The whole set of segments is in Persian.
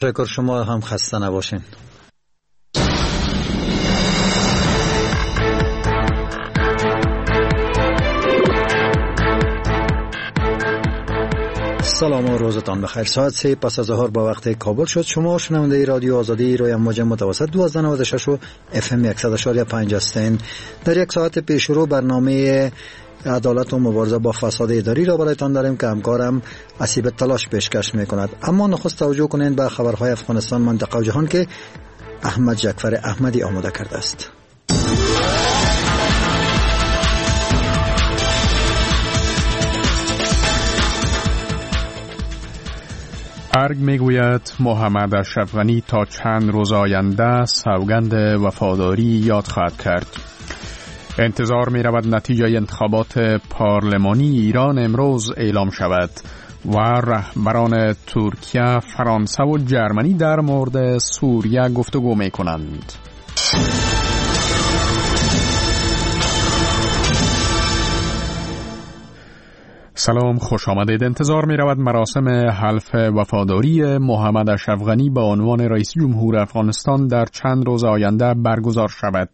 تشکر، شما هم خسته نباشین. سلام و روزتان بخیر. ساعت 3 پس از ظهر با وقت کابل شد. شما شنونده رادیو آزادی روی موج متوسط 1296 و اف ام 100.5 هستین. در یک ساعت پیش رو برنامه عدالت و مبارزه با فساد اداری را برایتان داریم که همکارم حسیب تلاش پیشکش میکند. اما نخست توجه کنید به خبرهای افغانستان، منطقه و جهان که احمد جعفر احمدی آماده کرده است. ارگ میگوید محمد اشرف غنی تا چند روز آینده سوگند وفاداری یاد خواهد کرد. انتظار می رود نتیجه انتخابات پارلمانی ایران امروز اعلام شود و رهبران ترکیه، فرانسه و جرمنی در مورد سوریه گفتگو می کنند. سلام، خوش آمدید. انتظار می رود مراسم حلف وفاداری محمد اشرف غنی به عنوان رئیس جمهور افغانستان در چند روز آینده برگزار شود.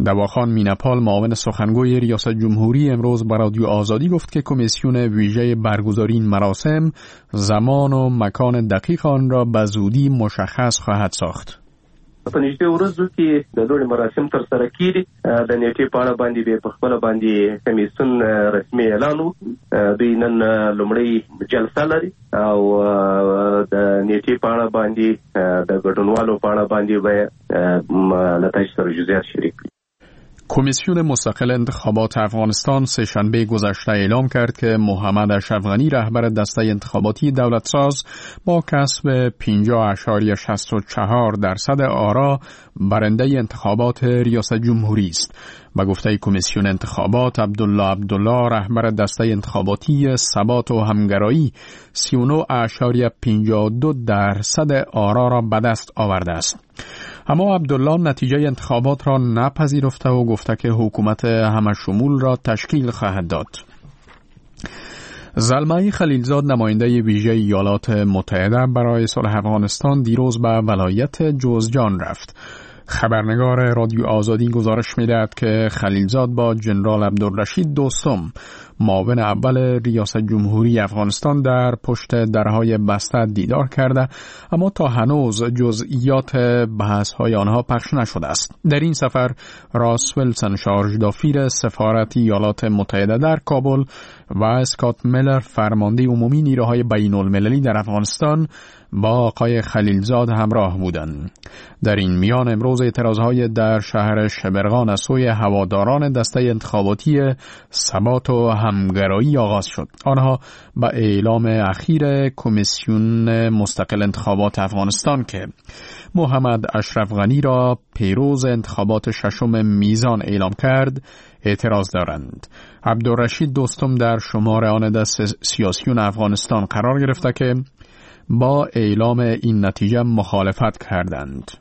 دواخان مینپال، معاون سخنگوی ریاست جمهوری، امروز به رادیو آزادی گفت که کمیسیون ویژه برگزاری این مراسم زمان و مکان دقیق آن را به زودی مشخص خواهد ساخت. په نږدې ورځو کې د لوړې مراسم تر سره کیږي. د نیټې په اړه باندې به په خپل باندې کمیسیون رسمي اعلان وکړي. دوی نن لومړی جلسه لري او د نیټې په اړه باندې د ګډونوالو په اړه باندې به له تاسو سره جزئیات شریک کړي. کمیسیون مستقل انتخابات افغانستان سه‌شنبه گذشته اعلام کرد که محمد اشرف غنی، رهبر دسته انتخاباتی دولت ساز، با کسب 50.64% آرا برنده انتخابات ریاست جمهوری است. با گفته کمیسیون انتخابات، عبدالله عبدالله، رهبر دسته انتخاباتی ثبات و همگرایی، 39.52% آرا را به دست آورده است. اما عبدالله نتیجه انتخابات را نپذیرفته و گفته که حکومت همه شمول را تشکیل خواهد داد. زلمای خلیلزاد، نماینده ویژه ایالات متحده برای صلح افغانستان، دیروز به ولایت جوزجان رفت. خبرنگار رادیو آزادی گزارش می‌دهد که خلیلزاد با جنرال عبدالرشید دوستم، معاون اول ریاست جمهوری افغانستان، در پشت درهای بسته دیدار کرده، اما تا هنوز جزئیات بحث‌های آنها پخش نشده است. در این سفر راس ویلسون، شارژدافیر سفارت ایالات متحده در کابل، و اسکات میلر، فرمانده عمومی نیروهای بین المللی در افغانستان، با آقای خلیلزاد همراه بودند. در این میان امروز اعتراضهای در شهر شبرغان از سوی هواداران دسته انتخاباتی ثبات و همگرایی آغاز شد. آنها به اعلام اخیر کمیسیون مستقل انتخابات افغانستان که محمد اشرف غنی را پیروز انتخابات ششم میزان اعلام کرد اعتراض دارند. عبدالرشید دوستم در شمار آن دست سیاسیون افغانستان قرار گرفته که با اعلام این نتیجه مخالفت کردند.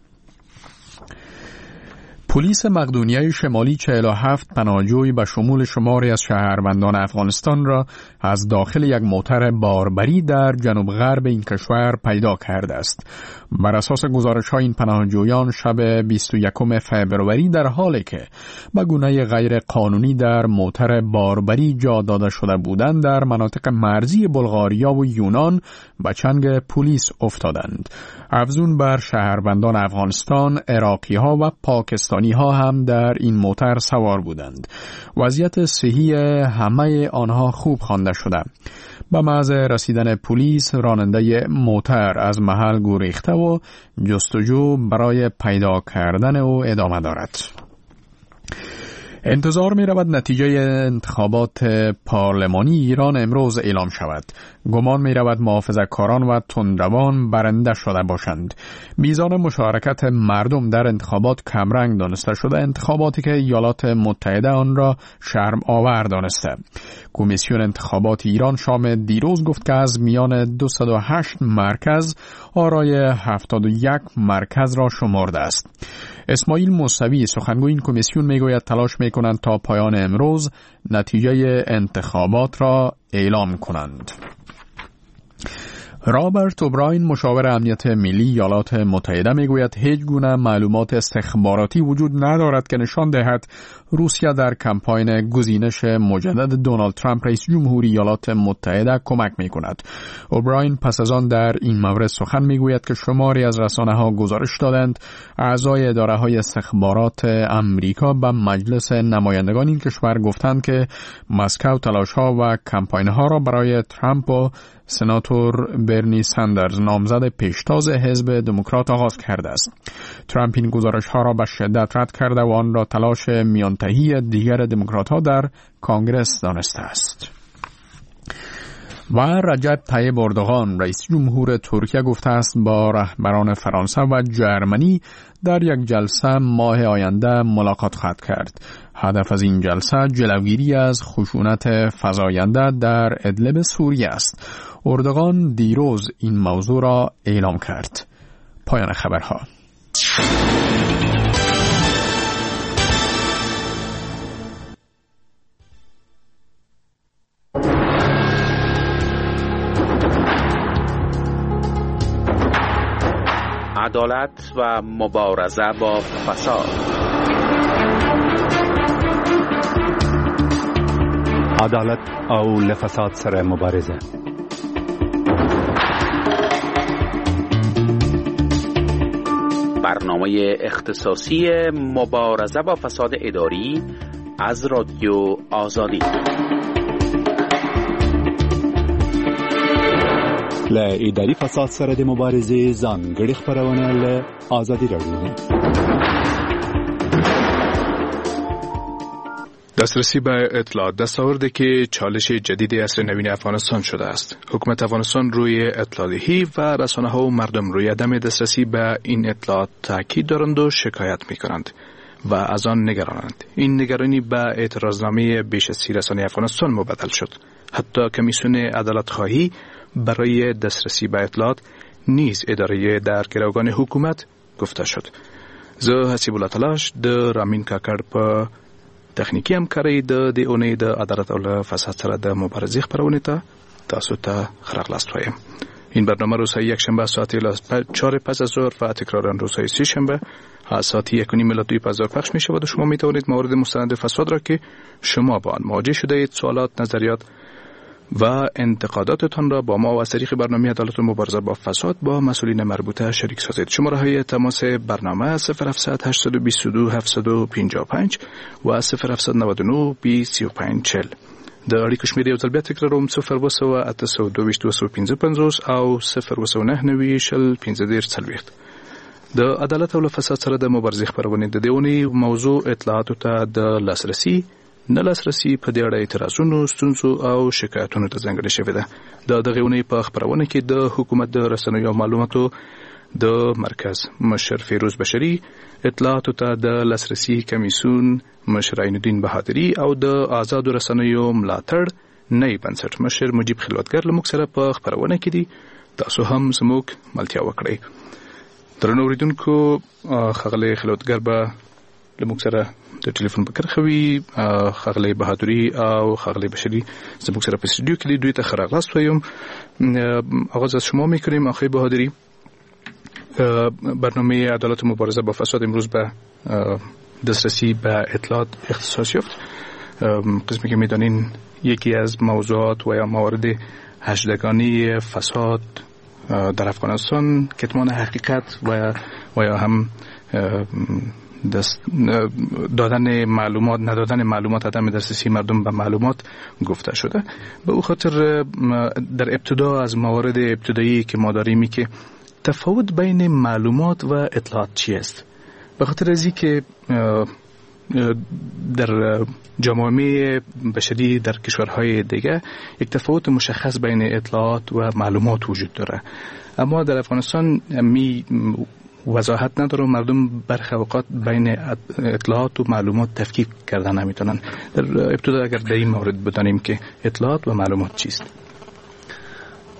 پلیس مقدونیه شمالی 47 پناهجوی به شمول شماری از شهروندان افغانستان را از داخل یک موتر باربری در جنوب غرب این کشور پیدا کرده است. بر اساس گزارش‌های این پناهجویان شب 21 فوریه در حالی که به گونه غیر قانونی در موتر باربری جا داده شده بودند، در مناطق مرزی بلغاریا و یونان به چنگ پلیس افتادند. افزون بر شهروندان افغانستان، عراقی‌ها و پاکستانی ها هم در این موتر سوار بودند. وضعیت صحی همه آنها خوب خوانده شده. به محض رسیدن پلیس، راننده موتر از محل گریخته و جستجو برای پیدا کردن او ادامه دارد. انتظار می رود نتیجه انتخابات پارلمانی ایران امروز اعلام شود. گمان می رود محافظه‌کاران و تندروان برنده شده باشند. میزان مشارکت مردم در انتخابات کمرنگ دانسته شده، انتخاباتی که ایالات متحده آن را شرم آور دانسته. کمیسیون انتخابات ایران شام دیروز گفت که از میان 208 مرکز آرای 71 مرکز را شمرده است. اسماعیل موسوی، سخنگوی این کمیسیون، میگوید تلاش میکنند تا پایان امروز نتیجه انتخابات را اعلام کنند. رابرت اوبراین، مشاور امنیت ملی ایالات متحده، میگوید هیچ گونه معلومات استخباراتی وجود ندارد که نشان دهد روسیه در کمپاین گزینش مجدد دونالد ترامپ، رئیس جمهوری ایالات متحده، کمک میکند. اوبراین پس از آن در این مورد سخن میگوید که شماری از رسانه ها گزارش دادند اعضای اداره های استخبارات امریکا به مجلس نمایندگان این کشور گفتند که مسکو تلاش ها و کمپاین ها را برای ترامپ و سناتور برنی ساندرز، نامزد پیشتاز حزب دموکرات، آغاز کرده است. ترامپ این گزارش ها را به شدت رد کرده و آن را تلاش میانتهی دیگر دموکرات ها در کانگرس دانسته است. و رجب طیب اردوغان، رئیس جمهور ترکیه، گفته است با رهبران فرانسه و جرمنی در یک جلسه ماه آینده ملاقات خواهد کرد. هدف از این جلسه جلوگیری از خشونت فزاینده در ادلب سوریه است. اردوغان دیروز این موضوع را اعلام کرد. پایان خبرها. عدالت و مبارزه با فساد. عدالت او له فساد سره مبارزه. برنامه اختصاصی مبارزه با فساد اداری از رادیو آزادی. له اداري فساد سره د مبارزې ځانګړې خپرونه له ازادي راډیو. دسترسی به اطلاعات دستاوردی که چالش جدید عصر نوین افغانستان شده است. حکومت افغانستان روی اطلاعیه و رسانه ها و مردم روی عدم دسترسی به این اطلاعات تاکید دارند و شکایت می کنند و از آن نگرانند. این نگرانی به اعتراضنامه بیش از 30 رسانه افغانستان مبدل شد. حتی کمیسیون عدالت خواهی برای دسترسی به اطلاعات نیز اداره در گروگان حکومت گفته شد. زه حسیب الله تلاش د رامین کاکړ په تخنیکي همکارۍ د دې اونۍ د عدالت او له فساد سره د مبارزې خپرونې ته تاسو ته ښه راغلاست وایم. این برنامه روزهای یکشنبه ساعت 4 پس از ظهر و تکرارا روزهای سه شنبه از ساعت 1:30 الی 2 پس از ظهر پخش می شود و شما می توانید موارد مستند فساد را که شما با آن مواجه شده اید، سوالات، نظریات و انتقاداتتان را با ما و از طریق برنامه عدالت و مبارزه با فساد با مسئولین مربوطه شریک سازید. شماره های تماس برنامه 0700 822 755 و 0799 2035 40. د اړیکو شمېر یو ځل بیا تکراروم: 070 822 او 099 20 15 40. د عدالت او له فساد سره د مبارزې خپرونې د دې اونۍ موضوع اطلاعاتو ته د لاسرسي نه لاسرسي په دې اړه اعتراضونو، ستونزو او شکایتونو ته ځانګړې شوې ده. د دغې اونۍ په خپرونه کې د حکومت د رسنیو او معلوماتو د مرکز مشر فیروز بشري، اطلاعاتو ته د لاسرسي کمیسیون مشر عین الدین بهادري او د آزادو رسنیو ملاتړ نوي بنسټ مشر مجیب خلوتګر له موږ سره په خپرونه کې دي. تاسو هم زموږ ملتیا وکړئ. درنو اورېدونکو، ښاغلی خلوتګر به له موږ سره د ټلیفون په کرښه وي. ښاغلی بهادري او ښاغلی بشري زموږ سره په استودیو کې دي. دوی ته ښه راغلاست وایم. آغاز از شما میکنیم آقای بهادری. برنامه عدالت و مبارزه با فساد امروز به دسترسی به اطلاعات اختصاص یافت. قسمی که میدانین یکی از موضوعات و یا موارد هشتگانی فساد در افغانستان کتمان حقیقت و یا هم دادن معلومات، ندادن معلومات، عدم دسترسی مردم به معلومات گفته شده. به او خاطر در ابتدا از موارد ابتدایی که ما داریم که تفاوت بین معلومات و اطلاعات چی است؟ به خاطر از اینکه در جامعه بشری در کشورهای دیگه یک تفاوت مشخص بین اطلاعات و معلومات وجود داره، اما در افغانستان می وضاحت نداره و مردم برخی اوقات بین اطلاعات و معلومات تفکیک کردن نمیتونن. در ابتدا اگر در این مورد بدانیم که اطلاعات و معلومات چیست.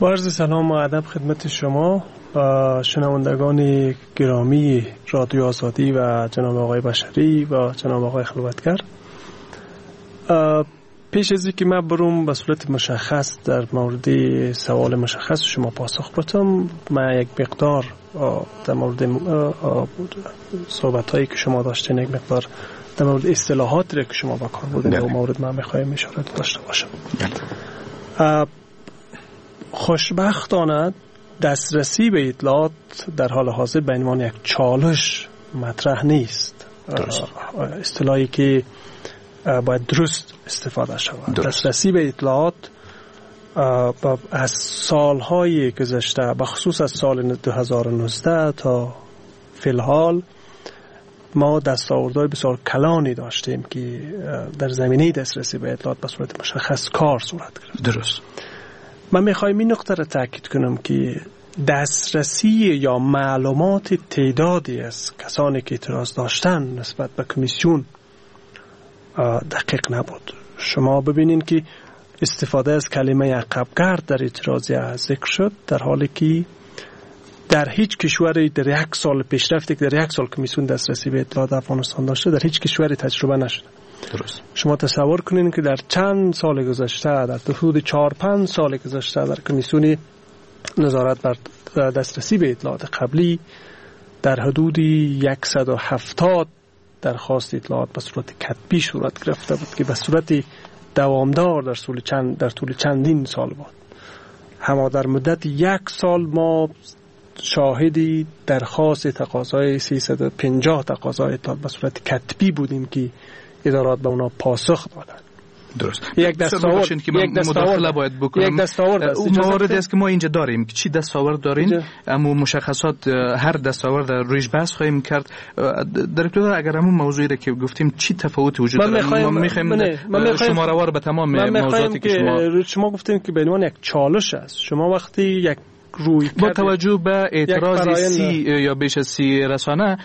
با عرض سلام و ادب خدمت شما و شنوندگان گرامی رادیو آزادی و جناب آقای بشری و جناب آقای خلوتگر. پیش از اینکه من بروم به صورت مشخص در مورد سوال مشخص شما پاسخ بدم، من یک مقدار در مورد صحبت هایی که شما داشتین، یک مقدار در مورد اصطلاحاتی که شما با کار بردین در مورد من میخوایم اشاره داشته باشم. خوشبختانه دسترسی به اطلاعات در حال حاضر به عنوان یک چالش مطرح نیست. اصطلاحی که باید درست استفاده شود. دسترسی به اطلاعات از سالهای گذشته، به خصوص از سال 2019 تا فی‌الحال، ما دستاوردهای بسیار کلانی داشتیم که در زمینه دسترسی به اطلاعات به صورت مشخص کار صورت گرفت. درست. من میخوایم این نقطه را تاکید کنم که دسترسی یا معلومات تعدادی از کسانی که اعتراض داشتن نسبت به کمیسیون دقیق نبود. شما ببینین که استفاده از کلمه عقبگرد در اعتراضیه ذکر شد، در حالی که در هیچ کشوری در یک سال پیشرفتی که در یک سال کمیسیون دسترسی به اطلاعات افغانستان داشته در هیچ کشوری تجربه نشده. درست. شما تصور کنین که در چند سال گذشته، در حدود 4-5 سال گذشته، در کمیسیون نظارت بر دسترسی به اطلاعات قبلی در حدود 170 درخواست اطلاعات به صورت کتبی صورت گرفته بود که به صورت دوامدار در طول چندین سال بود. اما در مدت یک سال ما شاهدی درخواست تقاضای 350 تقاضای اطلاعات به صورت کتبی بودیم که ادارات به اونا پاسخ دادن. درست. یک دستاورد که من مداخله باید بکنم. یک دستاورد است. موارد است که ما اینجا داریم که چی دستاورد دارین، اما مشخصات هر دستاورد رویش بحث خواهیم کرد. در ابتدا اگر همون موضوعی را که گفتیم چی تفاوت وجود داره، ما می‌خوایم شما را به تمام موضوعاتی که شما گفتیم که به عنوان یک چالش است. شما وقتی یک روی با توجه به اعتراض 30 یا بیش از 30 رسانه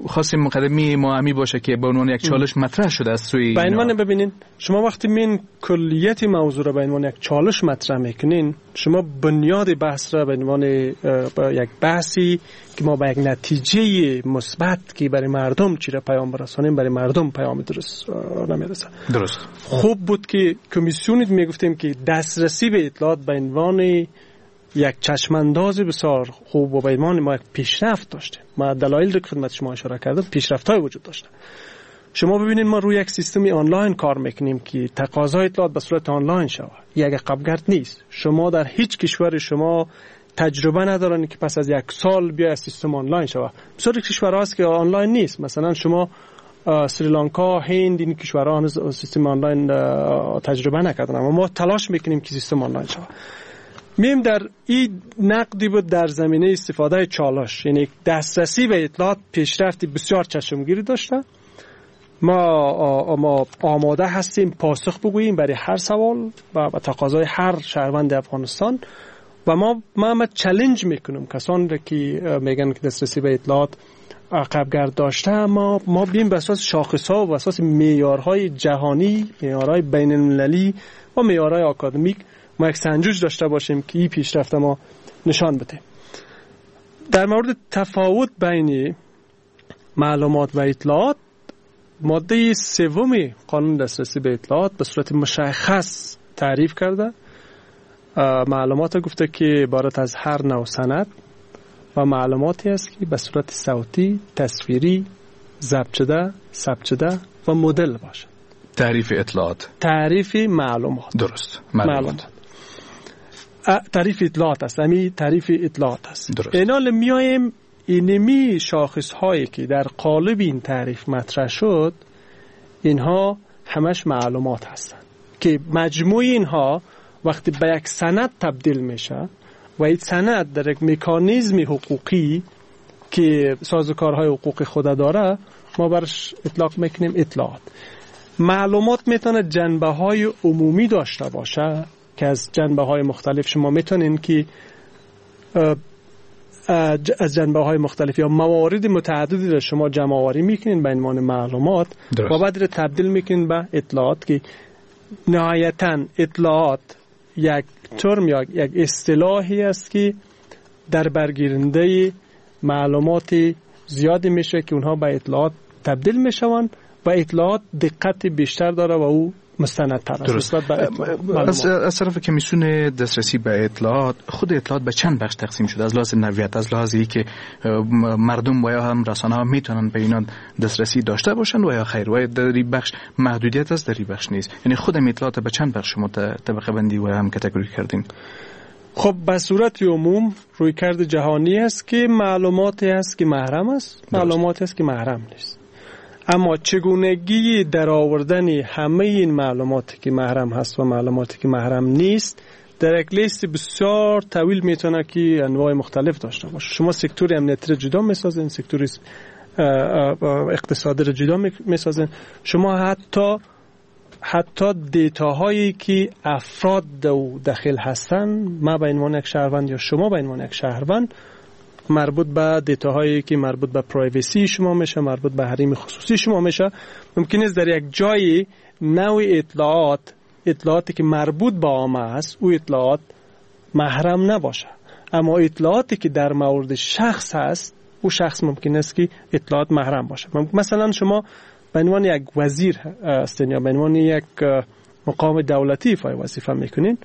خواستیم مقدمی ما باشه که به عنوان یک چالش مطرح شده از سوی به عنوان. ببینین شما وقتی من کلیت موضوع را به عنوان یک چالش مطرح میکنین، شما بنیاد بحث را به عنوان یک بحثی که ما به یک نتیجه مثبت که برای مردم چی را پیام برسانیم، برای مردم پیام درست نمیرسه. درست. خوب بود که کمیسیون میگفتیم که دسترسی به اطلاعات به عنوان یک چشمانداز بسیار خوب و به عنوان ما یک پیشرفت داشتیم. ما دلایل رو که خدمت شما اشاره کردم پیشرفت‌های وجود داشته. شما ببینید ما روی یک سیستم آنلاین کار میکنیم که تقاضای اطلاعات به صورت آنلاین شود. یک عقبگرد نیست. شما در هیچ کشور شما تجربه ندارن که پس از یک سال بیا سیستم آنلاین شود. بسیار کشورها هست که آنلاین نیست. مثلا شما سریلانکا، هند، این کشورها هنوز سیستم آنلاین تجربه نکردن، اما ما تلاش میکنیم که سیستم آنلاین شود. میم در این نقدی بود در زمینه استفاده چالش، یعنی دسترسی به اطلاعات پیشرفت بسیار چشمگیری داشته. ما آماده هستیم پاسخ بگوییم برای هر سوال و تقاضای هر شهروند افغانستان و ما چالش میکنم کسان را که میگن که دسترسی به اطلاعات عقبگرد داشته. ما بیم به اساس شاخص‌ها و اساس معیارهای جهانی، معیارهای بین المللی و معیارهای آکادمیک ما یک سنجش داشته باشیم که این پیشرفت ما نشان بده. در مورد تفاوت بین معلومات و اطلاعات، ماده 3 قانون دسترسی به اطلاعات به صورت مشخص تعریف کرده. معلومات گفته که عبارت از هر نوع سند و معلوماتی است که به صورت صوتی، تصویری، ضبط شده، ثبت شده و مدل باشد. تعریف اطلاعات، تعریف معلومات. درست. معلومات. تعریف اطلاعات است. همین تعریف اطلاعات است. درست. اینال میایم اینمی شاخص هایی که در قالب این تعریف مطرح شد، اینها همش معلومات هستند که مجموع اینها وقتی به یک سند تبدیل میشه و این سند در یک مکانیزم حقوقی که سازوکارهای حقوقی خود داره، ما برش اطلاق میکنیم اطلاعات. معلومات میتونه جنبه های عمومی داشته باشه که از جنبه های مختلف شما میتونین که از جنبه های مختلف یا موارد متعددی را شما جمع آوری میکنین به عنوان معلومات و بعد را تبدیل میکنین به اطلاعات که نهایتاً اطلاعات یک ترم یا یک اصطلاحی است که در برگیرنده معلومات زیادی میشه که اونها به اطلاعات تبدیل میشوند و اطلاعات دقت بیشتر داره و او مستندتر است. از طرف کمیسیون دسترسی به اطلاعات، خود اطلاعات به چند بخش تقسیم شده از لحاظ نوعیت، از لحاظ اینکه مردم و یا هم رسانه ها میتونن به اینا دسترسی داشته باشن و یا خیر، و در این بخش محدودیت است، در این بخش نیست. یعنی خود اطلاعات به چند بخش شما طبقه بندی و هم کاتگوری کردین؟ خب به صورت عموم رویکرد جهانی است که معلوماتی است که محرم است، معلوماتی است که محرم نیست. اما چگونگی در آوردن همه این معلوماتی که محرم هست و معلوماتی که محرم نیست در یک لیست بسیار طویل میتونه که انواع مختلف داشته باشه. شما سکتور امنیتی را جدا میسازین، سکتور اقتصادی را جدا میسازین، شما حتی data هایی که افراد داخل هستن، ما به عنوان یک شهروند یا شما به عنوان یک شهروند، مربوط به data هایی که مربوط به privacy شما میشه، مربوط به حریم خصوصی شما میشه، ممکن است در یک جای نوع اطلاعاتی که مربوط به عامه است او اطلاعات محرم نباشه، اما اطلاعاتی که در مورد شخص هست او شخص ممکن است که اطلاعات محرم باشه. مثلا شما به عنوان یک وزیر هستین یا به عنوان یک مقام دولتی ایفای وظیفه میکنین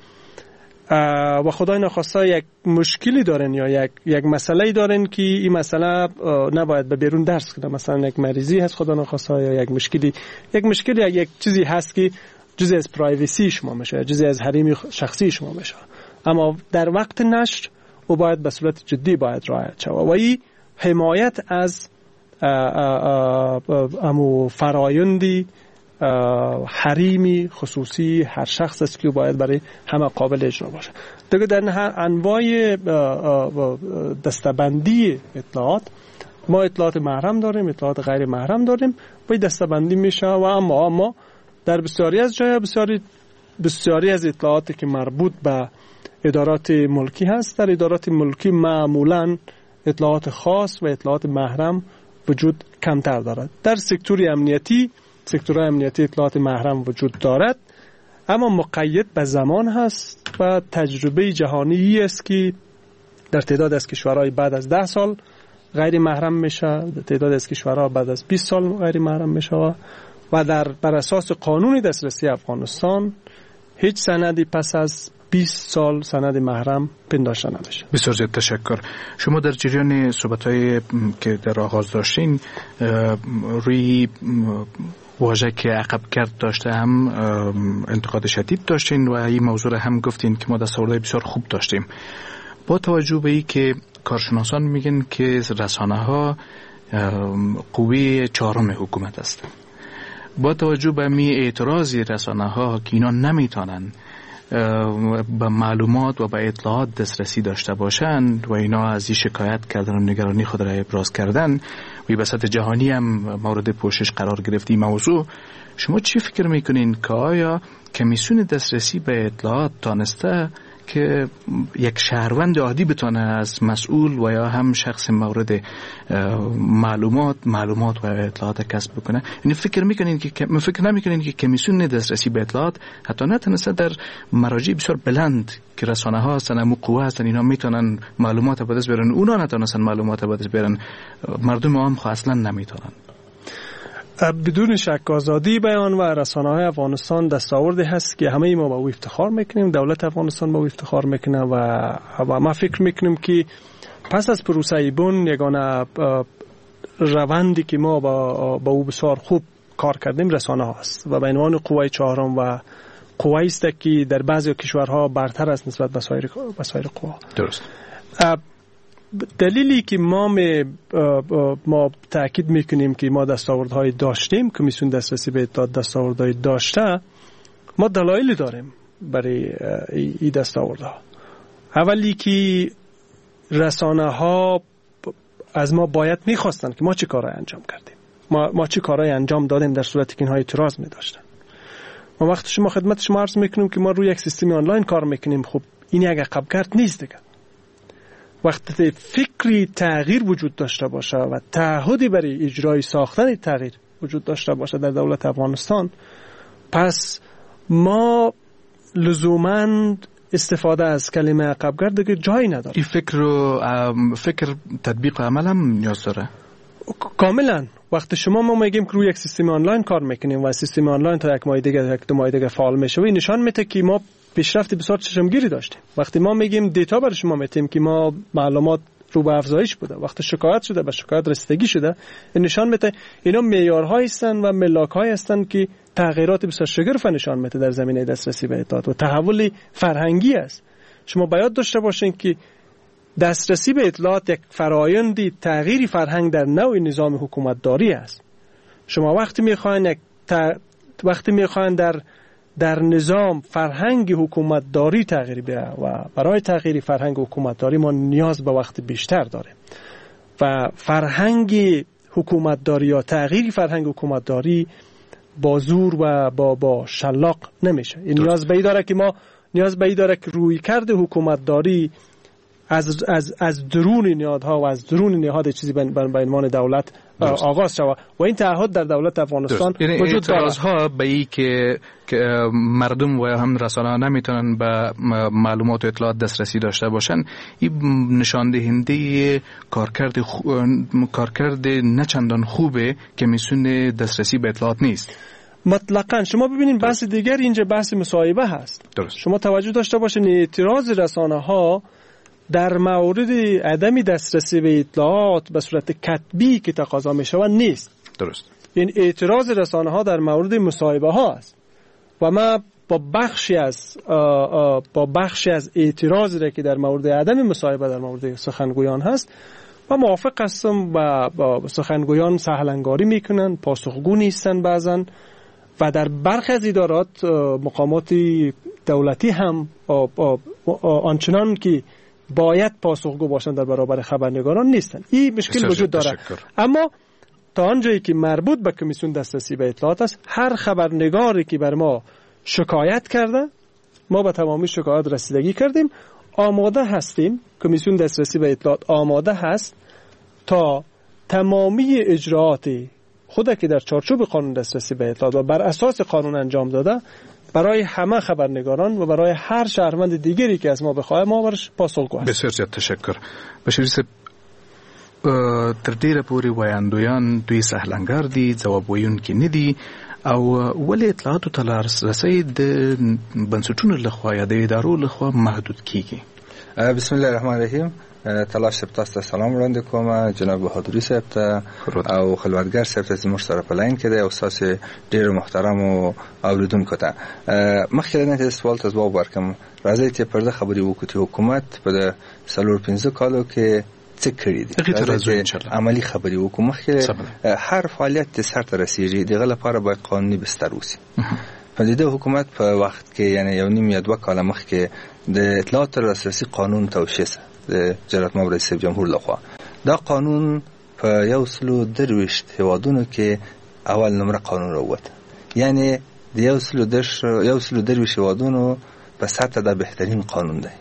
و خدای نخواسته یک مشکلی دارن یا یک مسئله دارن که این مسئله نباید به بیرون درس کنه، مثلا یک مریضی هست خدا نخواسته یا یک مشکلی یک چیزی هست که جزئی از پرایوسی شما میشه، جزئی از حریم شخصی شما میشه، اما در وقت نشر او باید به صورت جدی باید رعایت شود و این حمایت از امو فرایندی حریمی خصوصی هر شخص است که باید برای همه قابل اجرا باشه. دیگه در انواع دستبندی اطلاعات ما اطلاعات محرم داریم، اطلاعات غیر محرم داریم و دستبندی میشه و اما در بسیاری از جای بسیاری از اطلاعاتی که مربوط به ادارات ملکی هست، در ادارات ملکی معمولا اطلاعات خاص و اطلاعات محرم وجود کمتر دارد. در سکتور امنیتی، سکتورهای امنیتی اطلاعات محرم وجود دارد، اما مقید به زمان هست و تجربه جهانی است که در تعداد از کشورهای بعد از 10 سال غیر محرم میشه، در تعداد از کشورها بعد از 20 سال غیر محرم میشه و در بر اساس قانون دسترسی افغانستان هیچ سندی پس از 20 سال سند محرم پنداشته نمیشه. بسیار زیاد تشکر. شما در جریان صحبت‌های که در آغاز داشتین روی واژه که عقب کرد داشته هم انتقاد شدید داشتین و این موضوع را هم گفتین که ما دستاوردهای بسیار خوب داشتیم. با توجه به این که کارشناسان میگن که رسانه ها قوه چهارم حکومت است، با توجه به می اعتراض رسانه ها که اینا نمیتونن به معلومات و به اطلاعات دسترسی داشته باشند و اینا از این شکایت کردن و نگرانی خود را ابراز کردن و به سطح جهانی هم مورد پوشش قرار گرفت این موضوع، شما چی فکر میکنین که آیا کمیسیون دسترسی به اطلاعات تانسته که یک شهروند عادی بتانه از مسئول و یا هم شخص مورد معلومات و اطلاعات کسب بکنه؟ یعنی فکر میکنین که فکر نمیکنین که کمیسیون دسترسی به اطلاعات حتی نتونسته در مراجع بسیار بلند که رسانه ها هستن، امو قوه هستن، اینا میتونن معلومات به دست بیارن، اونا نتونستن معلومات به دست بیارن، مردم عام خو اصلا نمیتونن؟ بدون شک آزادی بیان و رسانه‌های افغانستان دستاوردی هست که همه ما با او افتخار میکنیم، دولت افغانستان با او افتخار میکنه و ما فکر میکنیم که پس از پروسه بن یگانه روندی که ما با او بسیار خوب کار کردیم رسانه هاست و به عنوان قوه چهارم و قوه است که در بعضی کشورها برتر است نسبت به سایر قوا. درست. دلیلی که ما تأکید میکنیم که ما دستاوردهای داشتیم، کمیسیون دسترسی به اطلاعات دستاوردهای داشته، ما دلایلی داریم برای این دستاوردها. اولی که رسانه ها از ما باید میخواستن که ما چه کارهای انجام کردیم، ما چه کارهای انجام دادیم در صورتی که اینها اعتراض میداشتن. ما وقتی شما خدمت شما عرض میکنیم که ما روی یک سیستم آنلاین کار میکنیم، خب این یک عقبگرد نیست دیگه. وقتی فکری تغییر وجود داشته باشه و تعهدی برای اجرای ساختن تغییر وجود داشته باشه در دولت افغانستان، پس ما لزوماً استفاده از کلمه عقبگرد دیگه جایی نداره. این فکر رو فکر تطبیق و عمل هم نیاز داره. کاملا. وقتی شما ما میگیم که روی یک سیستم آنلاین کار میکنیم و سیستم آنلاین تا یک ماه دیگه، یک دو ماه دیگه فعال میشه و این نشان میده که ما پیشرفت بسیار چشمگیری داشتیم. وقتی ما میگیم data برای شما میتیم که ما معلومات رو به افزایش بوده، وقتی شکایت شده به شکایت رسیدگی شده، این نشان میده اینا معیارهایی هستند و ملاک‌هایی هستند که تغییرات بسیار شگرف نشان میده در زمینه دسترسی به اطلاعات و تحول فرهنگی است. شما باید داشته باشین که دسترسی به اطلاعات یک فرایند تغییر فرهنگ در نوع نظام حکومتداری است. شما وقتی میخواین وقتی میخواین در نظام فرهنگ حکومتداری تغییر بیاره و برای تغییر فرهنگ حکومتداری ما نیاز به وقت بیشتر داریم و فرهنگ حکومتداری یا تغییر فرهنگ حکومتداری با زور و با شلاق نمیشه. این نیاز به داره که ما نیاز به داره که رویکرد حکومتداری از درون نهادها و از درون نهاد چیزی به عنوان دولت آغاز شود و این تعهد در دولت افغانستان وجود دارد. اعتراض ها به ای که مردم و هم رسانه‌ها نمیتونن به معلومات و اطلاعات دسترسی داشته باشن، این نشان دهنده کارکرد نه چندان خوبه که میسون دسترسی به اطلاعات نیست. مطلقاً. شما ببینید بحث دیگر اینجا بحث مصاحبه هست. درست. شما توجه داشته باشین اعتراض رسانه‌ها در مورد عدم دسترسی به اطلاعات به صورت کتبی که تقاضا می شود نیست. درست. این اعتراض رسانه ها در مورد مصاحبه ها است و ما با بخشی از اعتراضی را که در مورد عدم مصاحبه در مورد سخنگویان هست و موافق هستم و با سخنگویان سهلنگاری میکنن، پاسخگو نیستن بعضا و در برخی از ادارات مقامات دولتی هم آنچنان که باید پاسخگو باشند در برابر خبرنگاران نیستن. این مشکل وجود داره. اما تا آنجایی که مربوط به کمیسیون دسترسی به اطلاعات است، هر خبرنگاری که بر ما شکایت کرده، ما به تمامی شکایات رسیدگی کردیم، آماده هستیم، کمیسیون دسترسی به اطلاعات آماده هست تا تمامی اجراعات خود که در چارچوب قانون دسترسی به اطلاعات و بر اساس قانون انجام داده برای همه خبرنگاران و برای هر شهروند دیگری که از ما بخواه ما برش پاسخگو هستیم. بسیار زیاد تشکر. بشیر صاحب، تر ډیره پورې ویاندویان دوی سهلنګار دي، ځواب ویونکي نه دي او ولې اطلاعاتو ته لاسرسی د بنسټونو لخوا یا د ادارو لخوا محدود کیږي؟ بسم الله الرحمن الرحیم. تلاش صاحب تاسو ته سلام وړاندې کوم، جناب بهادري صاحب ته او خلوتګر صاحب ته زموږ سره په لاین کې دی او ستاسو ډېر محترم اوریدونکو ته. مخکې له دې چې سوال ته ځواب ورکړم، راځئ چې پر دې خبرې وکړو چې حکومت په 4-5 کالو کې څه کړي دي. عملي خبرې وکړو. مخکې هر فعالیت چې سرته رسیږي د هغه لپاره باید قانوني بستر اوسي. په دې حکومت په وخت کې، یعنی 1.5 یا 2 کاله مخکې د اطلاعات لاسرسي قانون توشیح شو د جلالت مآب رئیس جمهور لخوا. دا قانون په 123 هیوادونو کې اول نمره قانون راووت، یعنی د 123 هیوادونو په سطح دا بهترین قانون دی.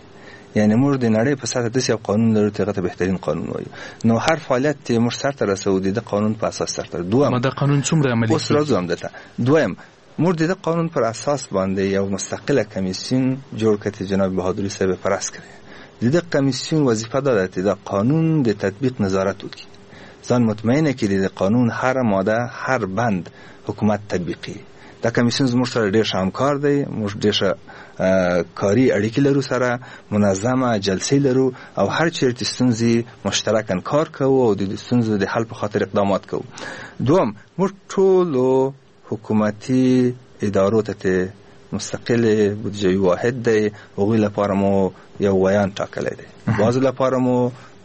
یعنی موږ د نړۍ په سطح داسې یو قانون لرو چې هغه ته بهترین قانون وایو. نو هر فعالیت چې موږ سرته رسوو د دې قانون په اساس سرته. دویم، دا قانون څومره عملي اوس راځو همدلته. دویم، موږ د دې قانون پر اساس باندې یو مستقله کمیسیون جوړ کړ چې جناب بهادري صاحب پرس کړی. د دې کمیسیون وظیفه دا ده چې د قانون د تطبیق نظارت وکړي، ځان مطمئنه کړي د قانون هر ماده هر بند حکومت تطبیقي. دا کمیسیون زموږ سره ډېر ښه همکار دی، موږ ډېر ښه کاري اړیکې لرو سره، منظمه جلسې لرو او هر چیرې چې ستونزې مشترکاً کار کوو او د ستونزو د حل په خاطر اقدامات کوو. دوم، موږ ټولو حکومتي ادارو ته چې مستقل بودجوي واحد دی، هغوی لپاره مو یو ویاند ټاکلی دی، بعضو لپاره مو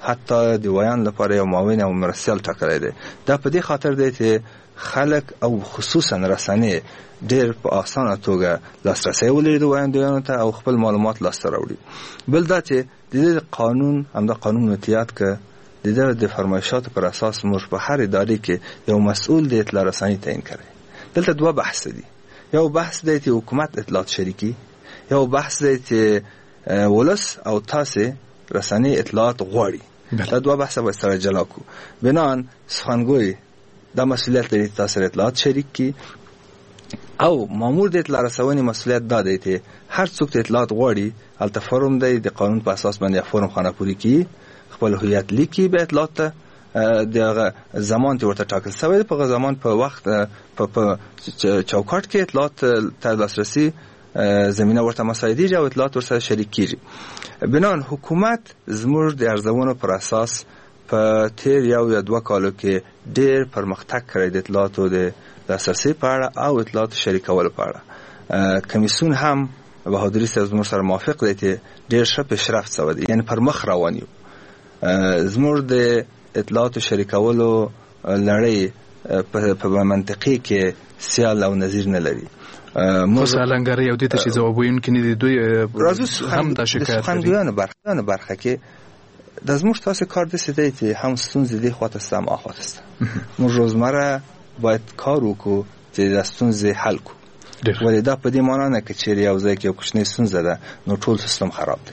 حتی د ویاند لپاره یو معاون او مرستیال ټاکلی دی. دا په دې خاطر دی چې خلک او خصوصا رسنۍ ډېر په اسانه توګه لاسرسی ولري د ویاندویانو ته او خپل معلومات لاسته راوړي. بل دا چې د دې قانون، همدا قانون متیاد که د دې د فرمایشاتو پر اساس موږ په هر ادارې کې یو مسؤل د اطلاع رساني تعیین کړی. دلته دوه بحث دي، یو بحث دی چې حکومت اطلاعات شریکي، یو بحث دی چې ولس او تاسې رسنۍ اطلاعات غواړي. دا دوه بحث باید سره جلا کړو. بناً سخنګوی دا مسئولیت لري چې تاسو سره اطلاعات شریک کړي، او مامور د اطلاع رسونې مسئولیت دا دی چې هر څوک چې اطلاعات غواړي هلته فورم دی، د قانون په اساس باندې فورم خانه پوري کړي، خپل هویت لیکي، بیا اطلاعات ته د هغه زمان چې ورته ټاکل شوی دی په هغه زمان په وخت په چوکاټ کې اطلاعات ته لاسرسي زمینه ورته مساعدېږي او اطلاعات ورسره شریک کیږي. بناً حکومت زموږ د ارزونو پر اساس په تیر یو یا دوه کالو کې ډیر پرمختګ کړی د اطلاعاتو د لاسرسي په اړه او اطلاعاتو شریکولو په اړه. کمیسیون هم بهادري صاحب زموږ سره موافق دی چې ډیر ښه پیشرفت شوی دی، یعنی پر مخ روان یو. زموږ د اطلاعاتو شریکولو لړۍ په منطقې کې سیال او نظیر نه لري. خو سالنګرۍ او دې ته چې ځواب ویونکي نه دي، دوی هم دا شکایت لري. سخنګویانو برخه کې د زموږ تاسو کار داسې دی چې هم ستونزې دې خواته شته هم آخواته شته. موږ روزمره باید کار وکړو چې دا ستونزې حل کړو، ولې دا په دې معنا نه که چیرې یو ځای کې یو کوچنۍ ستونزه ده نو ټول سیستم خراب دی.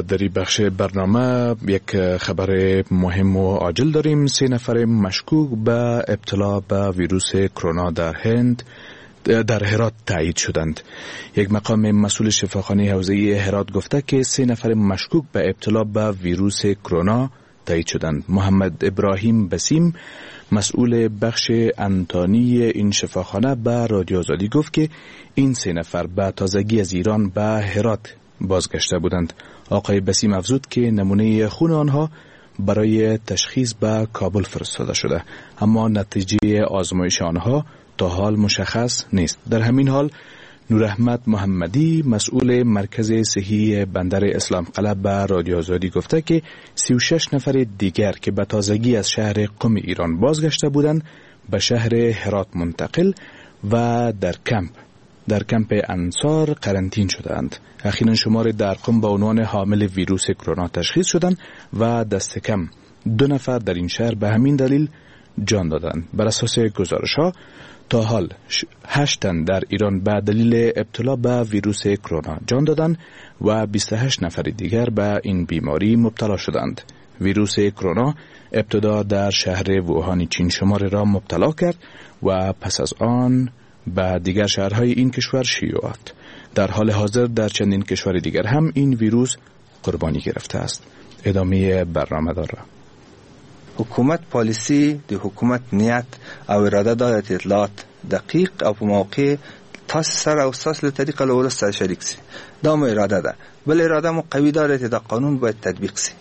در این بخش برنامه یک خبر مهم و عاجل داریم. 3 نفر مشکوک به ابتلا به ویروس کرونا در هند در هرات تایید شدند. یک مقام مسئول شفاخانه حوزه هرات گفته که 3 نفر مشکوک به ابتلا به ویروس کرونا تایید شدند. محمد ابراهیم بسیم مسئول بخش انتانی این شفاخانه به رادیو آزادی گفت که این 3 نفر به تازگی از ایران به هرات بازگشته بودند. آقای بسیم افزود که نمونه خون آنها برای تشخیص به کابل فرستاده شده، اما نتیجه آزمایش آنها تا حال مشخص نیست. در همین حال نوراحمد محمدی مسئول مرکز صحی بندر اسلام قلعه به رادیو آزادی گفته که 36 نفر دیگر که به تازگی از شهر قم ایران بازگشته بودند به شهر هرات منتقل و در کمپ انصار قرنطین شدند. اخیراً شمار در قم به عنوان حامل ویروس کرونا تشخیص شدند و دست کم 2 نفر در این شهر به همین دلیل جان دادند. بر اساس گزارش ها تا حال 8 تن در ایران به دلیل ابتلا به ویروس کرونا جان دادند و 28 نفر دیگر به این بیماری مبتلا شدند. ویروس کرونا ابتدا در شهر ووهان چین شمار را مبتلا کرد و پس از آن به دیگر شهرهای این کشور شیوع یافت. در حال حاضر در چندین کشور دیگر هم این ویروس قربانی گرفته است. ادامه برنامه داره. حکومت پالیسی د حکومت نیت او اراده دا چې اطلاعات دقیق او په موقع تاسو سره او ستاسو له طریقه له ولس سره شریک سي. دا مو اراده ده. بل اراده مو قوي دا ده چې دا قانون باید تطبیق سي.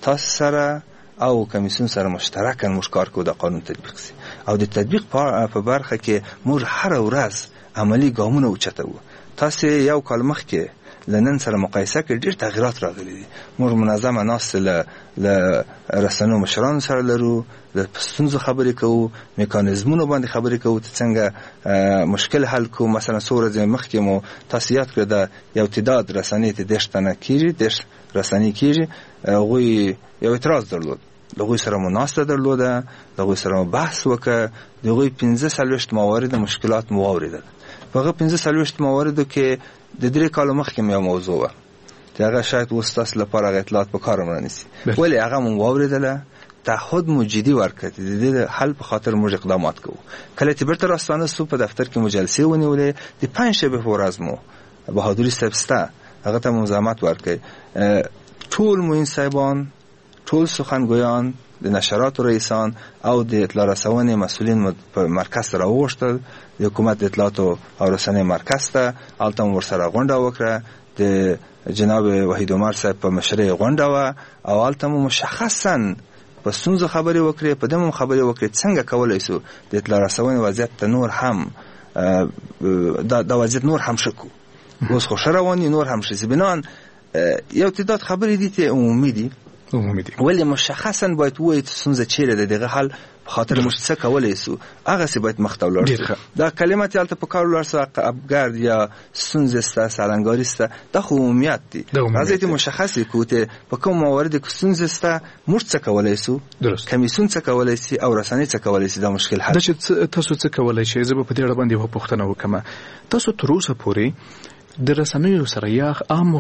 تاسو سره او کمیسیون سره مشترکاً موږ کار کوو دا قانون تطبیق سي، او د تطبیق په برخه کې موږ هره ورځ عملي ګامونه اوچتوو. تاسو یو کال مخکې له نن سره مقایسه کې ډېر تغیرات راغلي دي. موږ منظمه ناستې له رسنیو مشرانو سره لرو، د ستونزو خبرې کوو، میکانیزمونو باندې خبرې کوو چې څنګه مشکل حل کوو. مثلا څو ورځې مخکې مو تاسو یاد کړئ دا یو تعداد رسنۍ ته 30 تنه کېږي، 30 رسنۍ کېږي، هغوی یو اعتراض درلود، له هغوی سره مو ناسته درلوده، له هغوی سره مو بحث وکړ، د هغوی 45 موارد مشکلات مو واورېدل. په هغه 45 مواردو کې د 3 کالو مخکې مې یو موضوع وه چې هغه شاید اوس ستاسو لپاره هغه اطلاعات په کار هم رانیسي، ولې هغه مو واورېدله، تعهد مو جدي ورکړ چې د دې حل په خاطر موږ اقدامات کوو. کله چې بیرته راستانه سو په دفتر کې مو جلسې ونیولې، د پنجشنبې په ورځ مو بهادري صاحب سته هغه ته مو زحمت ورکړ، ټول معین صاحبان، ټول سخنګویان، د نشراتو رئیسان او د اطلاع رسونې مسؤلین مو په مرکز ته راوغوښتل، د حکومت د اطلاعاتو او رسنۍ مرکز ته، هلته مو ورسره غونډه وکړه، د جناب وحید عمر صاحب په مشرۍ غونډه وه او هلته مو مشخصاً په ستونزو خبرې وکړې، په دې مو خبرې وکړې څنګه کولی سو د اطلاع رسونې وضعیت ته نور هم دا وضعیت نور هم ښه کړو. اوس خو ښه روان دي، نور هم ښه سي. بناً یو تعداد خبرې دي چې عمومي دي، ولې مشخصاً باید ووایو چې ستونزه چیرې ده، دغه حل په خاطر موږ څه کولی سو، هغسې باید مخته ولاړ سو. دا کلمه چې هلته په کار ولاړ سو، ابګرد یا ستونزې سته، سالنګاري سته، دا خو عمومیت دي. راځئ چې مشخص یې کړو چې په کوم مواردو کې ستونزې سته، موږ څه کولی سو، کمیسیون څه کولی سي او رسنۍ څه کولی سي دا مشکل حل. دا چې تاسو څه کولی شئ، زه به په دې اړه باندې یوه پوښتنه وکړم. تاسو تر اوسه پورې د رسنیو سره یا عام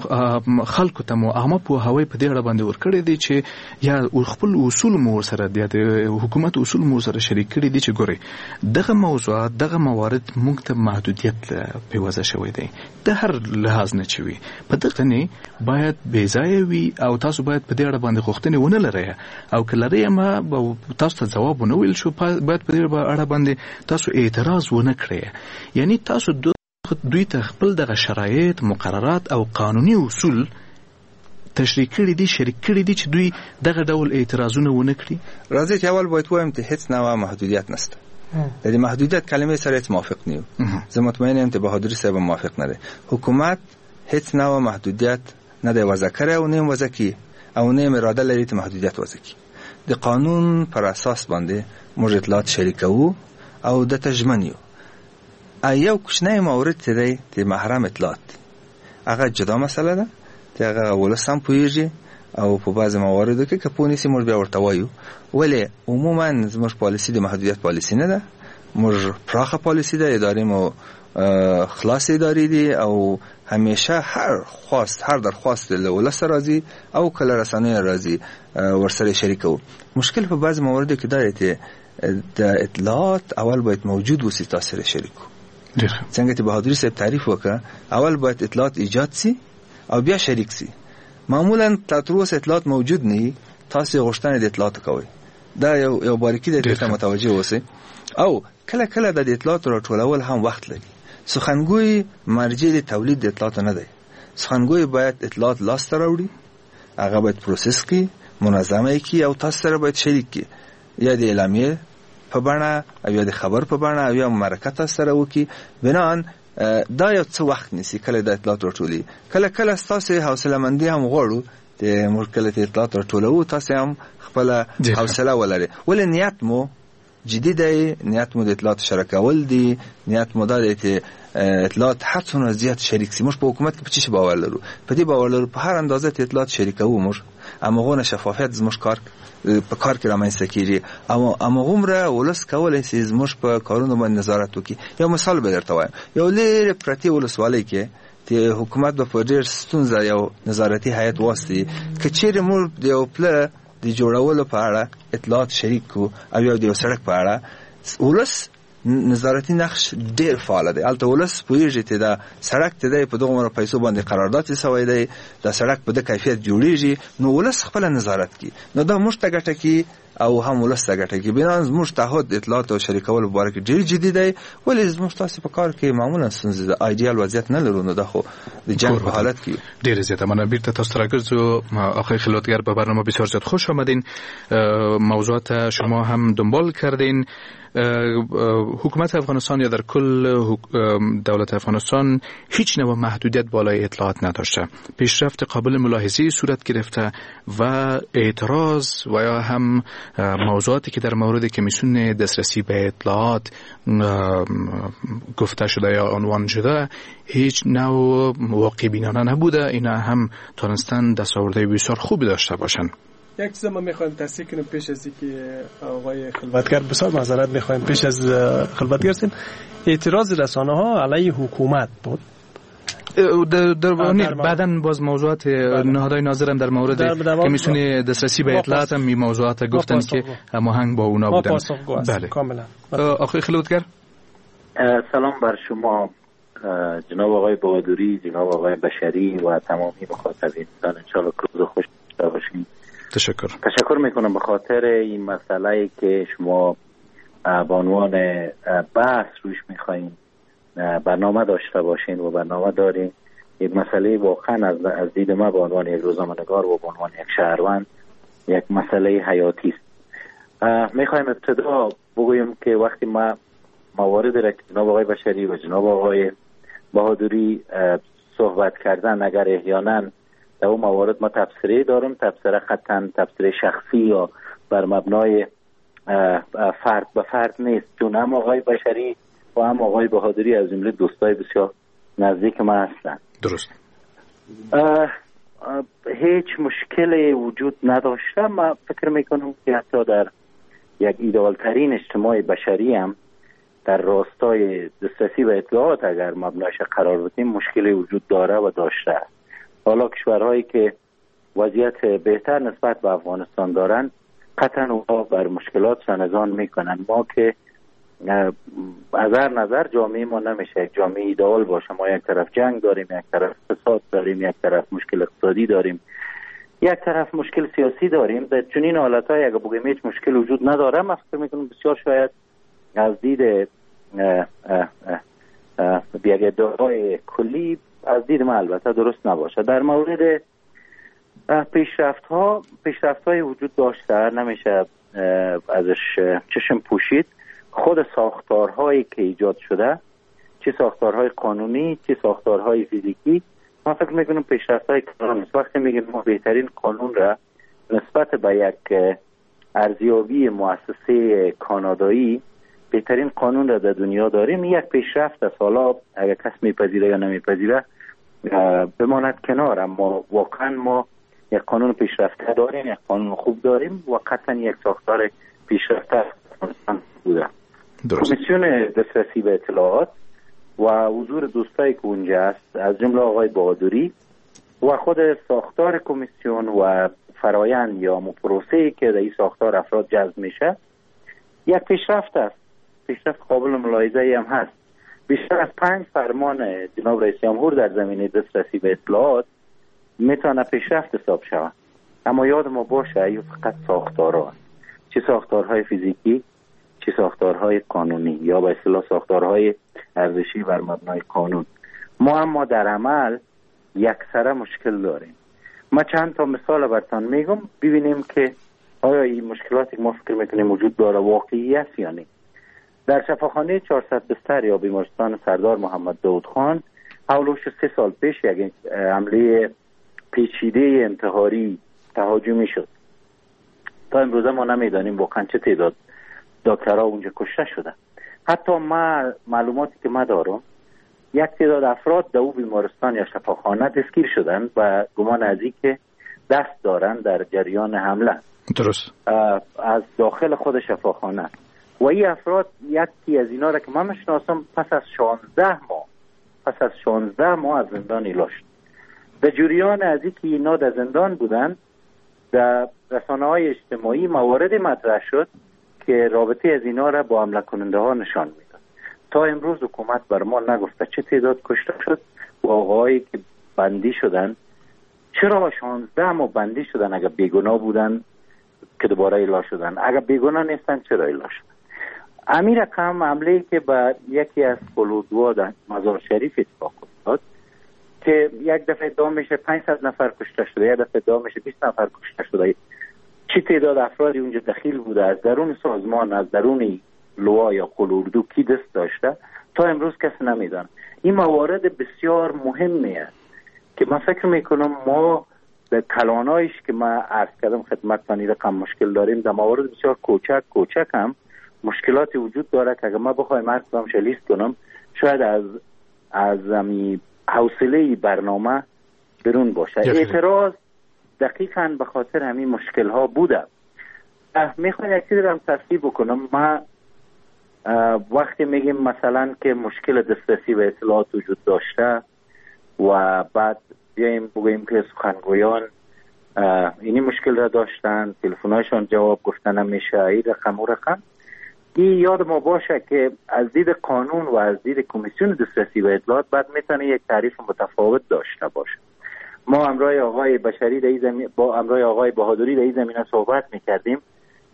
خلکو ته مو عامه پوهاوی په دې اړه باندې ورکړی دی چې یا خپل اصول مو ورسره د حکومت اصول مو سره شریک کړي دي چې ګورئ دغه موضوعات، دغه موارد موږ ته محدودیت په وضع شوی دی، د هر لحاظ نه چې وي په دغه نه باید بې ځایه وي او تاسو باید په دې اړه باندې غوښتنې ونه لرئ او که لرئ ما تاسو ته ځواب ونه ویل شو، باید په دې اړه باندې تاسو اعتراض ونه کړئ. یعنی تاسو دوی ته خپل دغه شرایط، مقررات او قانوني اصول تشریح کړي دي، شریک کړي دي چې دوی دغه ډول اعتراضونه ونه کړي. راځئ چې اول باید ووایم چې هیڅ نوع محدودیت نشته. د دې محدودیت کلمې سره هیڅ موافق نه یو. زه مطمئن یم چې بهادري صاحب موافق نه دی. حکومت هیڅ نوع محدودیت نه دی وضع کړی او نه یې وضع کړي او نه یې اراده لري چې محدودیت وضع کړي. د قانون پر اساس باندې موږ اطلاعات شریکوو او ده ته ژمن یو. یو کوچنی مورد چې دی د محرم اطلاعات دی، هغه جدا مسله ده چې هغه ولس هم پوهېږي او په بعضې مواردو کې که پوه نشي موږ بیا ورته وایو. ولې عموما زموږ پالیسي د محدودیت پالیسي نه ده، موږ پراخه پالیسي ده، ادارې مو خلاص ادارې دي او همیشه هر خواست، هر درخواست له ولس راځي او کله رسنیو راځي ورسره شریکوو. مشکل په بعضې مواردو کې دا دی چې د اطلاعات اول باید موجود وسی تاسو سره شریکو. څنګه چې بهادري صاحب تعریف وکړه، اول باید اطلاعات ایجاد سي او بیا شریک سي. معمولا تر اوسه اطلاعات موجود نه، تاسو غوښتنه د اطلاعات کوئ. دا یو باریکي ده چې متوجه اوسئ. او کله کله د اطلاعات راټولول هم وخت لري. سخنګوی مرجع د تولید د اطلاعات نه دی. سخنګوی باید اطلاعات لاسته راوړي، هغه باید پروسس کړي، منظمه یې کړي او تاسو سره باید شریک کړي، یا د اعلامیې په بڼه او یا د خبر په بڼه او یا مرکه تاسو سره وکړي. بناءً دا یو څه وخت نیسي کله د اطلاعات راټولي. کله کله ستاسو حوصله مندي هم غواړو چې موږ کله چې اطلاعات راټولوو تاسو هم خپله حوصله ولرئ. ولې نیت مو جدي دی، نیت مو د اطلاعات شریکول دي، نیت مو دا دی چې اطلاعات هر څومره زیات شریک سي. موږ په حکومت کې په څه شي باور لرو؟ په دې باور لرو په هر اندازه چې اطلاعات شریکوو موږ هماغونه شفافیت زموږ کار په کار کې رامنځته کېږي او هماغومره ولس کولی شي زموږ په کارونو باندې نظارت وکړي. یو مثال به درته وایم، یو لرې پرتې ولسوالۍ کې چې حکومت به په ډېر ستونزه یو نظارتي هیئت واستي، که چیرې موږ د یو پله د جوړولو په اړه اطلاعات شریک کړو او یو د یو سړک په اړه، ولس نظارتي نقش ډیر فعال دی. هلته ولس پوهېږي چې دا سړک چې دی په دغومره پیسو باندې قرارداد سوی دی، دا سړک په ده کیفیت جوړېږي، نو ولس خپله نظارت کوي. نو دا موږ ته ګټه کوي او هم ولس ته ګټه کوي. بناءً زموږ تعهد اطلاعات او شریکولو په باره کې ډېر جدي دی. ولې زموږ تاسو په کار کې معمولا ستونزې ده، ایډیال وضعیت نه لرو، نو دا خو د جنګ په حالت کې. ډېر زیاته مننه. بیرته تاسو ته راګرځو. آقای خلوتگر به برنامه بسیار زیاد خوش آمدین. موضوعات شما هم دنبال کردین. حکومت افغانستان یا در کل دولت افغانستان هیچ نوع محدودیت بالای اطلاعات نداشته. پیشرفت قابل ملاحظه صورت گرفته و اعتراض و یا هم موضوعاتی که در مورد کمیسیون دسترسی به اطلاعات گفته شده یا عنوان شده هیچ نوع واقع بینانه نبوده. اینا هم تانستن دستاورده بسیار خوبی داشته باشند. یک چیز ما میخوایم تصحیح کنیم پیش از اینکه آقای خلوتگر، بسیار معذرت میخوایم پیش از خلوتگر سیم، اعتراض رسانه ها علیه حکومت بود. در بعداً باز موضوعات نهادهای ناظرم در مورد کمیسیون دسترسی به اطلاعات هم موضوعات گفتن که هماهنگ با اونا بودن. بله کاملا. آقای خلوتگر سلام بر شما جناب آقای بهادری، جناب آقای بشری و تمامی مخاطبین. انشالله روز خوش باشین. تشکر میکنم به خاطر این مسئله که شما به عنوان بحث روش میخواین برنامه داشته باشین و برنامه دارین. یک مسئله واقعا از دید ما به عنوان یک روزنامه‌نگار و به عنوان یک شهروند یک مسئله حیاتی است. میخوایم ابتدا بگویم که وقتی ما موارد را که جناب آقای بشری و جناب آقای بهادری صحبت کردن، اگر احیانا در اون موارد ما تبصره دارم، تبصره خطاً تبصره شخصی یا بر مبنای فرد به فرد نیست، چون هم آقای بشری و هم آقای بهادری از جمله دوستای بسیار نزدیک ما هستند. درست. هیچ مشکلی وجود نداشته. ما فکر میکنم که حتی در یک ایدئال ترین اجتماع بشری هم در راستای دسترسی به اطلاعات اگر مبنایش قرار بدیم مشکلی وجود داره و داشته است. حالا کشورهایی که وضعیت بهتر نسبت به افغانستان دارن قطعا اونها بر مشکلات سنزان میکنن. ما که از هر نظر جامعه ما نمیشه یک جامعه ایدئال باشه. ما یک طرف جنگ داریم، یک طرف فساد داریم، یک طرف مشکل اقتصادی داریم، یک طرف مشکل سیاسی داریم. در چنین حالت‌های اگه بگیم هیچ مشکل وجود نداره، من فکر میکنم بسیار شاید از دید یک ادعای کلی از دید من البته درست نباشه. در مورد پیشرفت‌های وجود داشته، نمیشه ازش چشم پوشید. خود ساختارهایی که ایجاد شده، چه ساختارهای قانونی چه ساختارهای فیزیکی، من فکر میکنم پیشرفت‌های کلان است. وقتی میگیم ما بهترین قانون را نسبت به یک ارزیابی مؤسسه کانادایی بهترین قانون را در دنیا داریم، یک پیشرفت است. حالا اگر کس میپذیره یا نمیپذیره بماند کنار، اما واقعا ما یک قانون پیشرفته داریم، یک قانون خوب داریم و قطعا یک ساختار پیشرفته بوده. کمیسیون دسترسی به اطلاعات و حضور دوستایی که اونجا است، از جمله آقای بهادری و خود ساختار کمیسیون و فرایند یا پروسه‌ای که در این ساختار افراد جذب میشه، یک پیشرفت است. پیشرفت قابل ملاحظه‌ای هم هست. بیشتر از 5 فرمان جناب رئیس جمهور در زمینه دسترسی به اطلاعات میتونه پیشرفت حساب شود. اما یاد ما باشه این فقط ساختارها است، چه ساختارهای فیزیکی چه ساختارهای قانونی یا به اصطلاح ساختارهای ارزشی بر مبنای قانون. ما اما در عمل یکسره مشکل داریم. ما چند تا مثال براتون میگم، ببینیم که آیا این مشکلاتی که ما فکر میکنیم وجود داره واقعی است یا نه. در شفاخانه 400 بستر یا بیمارستان سردار محمد داود خان حولش 3 سال پیش یک حمله پیچیده انتحاری تهاجمی شد. تا امروز ما نمیدانیم واقعا چه تعداد دکترها اونجا کشته شده. حتی ما معلوماتی که ما دارم یک تعداد افراد در او بیمارستان یا شفاخانه دستگیر شدن و گمان از این که دست دارن در جریان حمله. درست. از داخل خود شفاخانه. و این افراد یکی از اینا را که من میشناسم پس از 16 ماه از زندان ایلا شد. در جریان از اینکه اینا در زندان بودن، در رسانه‌های اجتماعی موارد مطرح شد که رابطه از اینا را با حمله کننده ها نشان میداد. تا امروز حکومت بر ما نگفته چه تعداد کشته شد و آقایی که بندی شدن چرا 16 ماه بندی شدن اگر بیگناه بودن که دوباره ایلا شدن، اگر بیگناه نیستن چرا ایلا شدن. امیر رقم حمله که به یکی از قلودوا در مزار شریف اتفاق افتاد که یک دفعه ادعا میشه 500 نفر کشته شده، یک دفعه ادعا میشه 20 نفر کشته شده. چه تعداد افرادی اونجا دخیل بوده، از درون سازمان، از درون لوا یا قلوردو کی دست داشته، تا امروز کسی نمیدانه. این موارد بسیار مهمی است که من فکر میکنم ما به کلانایش که من عرض کردم خدمتتان این رقم مشکل داریم. در موارد بسیار کوچک هم مشکلاتی وجود داره که اگر ما بخوایم هر کدامش لیست کنم شاید از حوصله برنامه برون باشه. اعتراض دقیقاً به خاطر همین مشکل ها بوده. میخوایم یک چیزی رو هم تصحیح بکنم. ما وقتی میگیم مثلا که مشکل دسترسی به اطلاعات وجود داشته و بعد بیایم بگوییم که سخنگویان اینی مشکل را داشتن، تلفن‌هایشان جواب گفتن نمیشه، این رقم و رقم، این یاد ما باشه که از دید قانون و از دید کمیسیون دسترسی به اطلاعات بعد میتونه یک تعریف متفاوت داشته باشه. ما همراه آقای بشری با همراه آقای بهادری در این زمینه صحبت میکردیم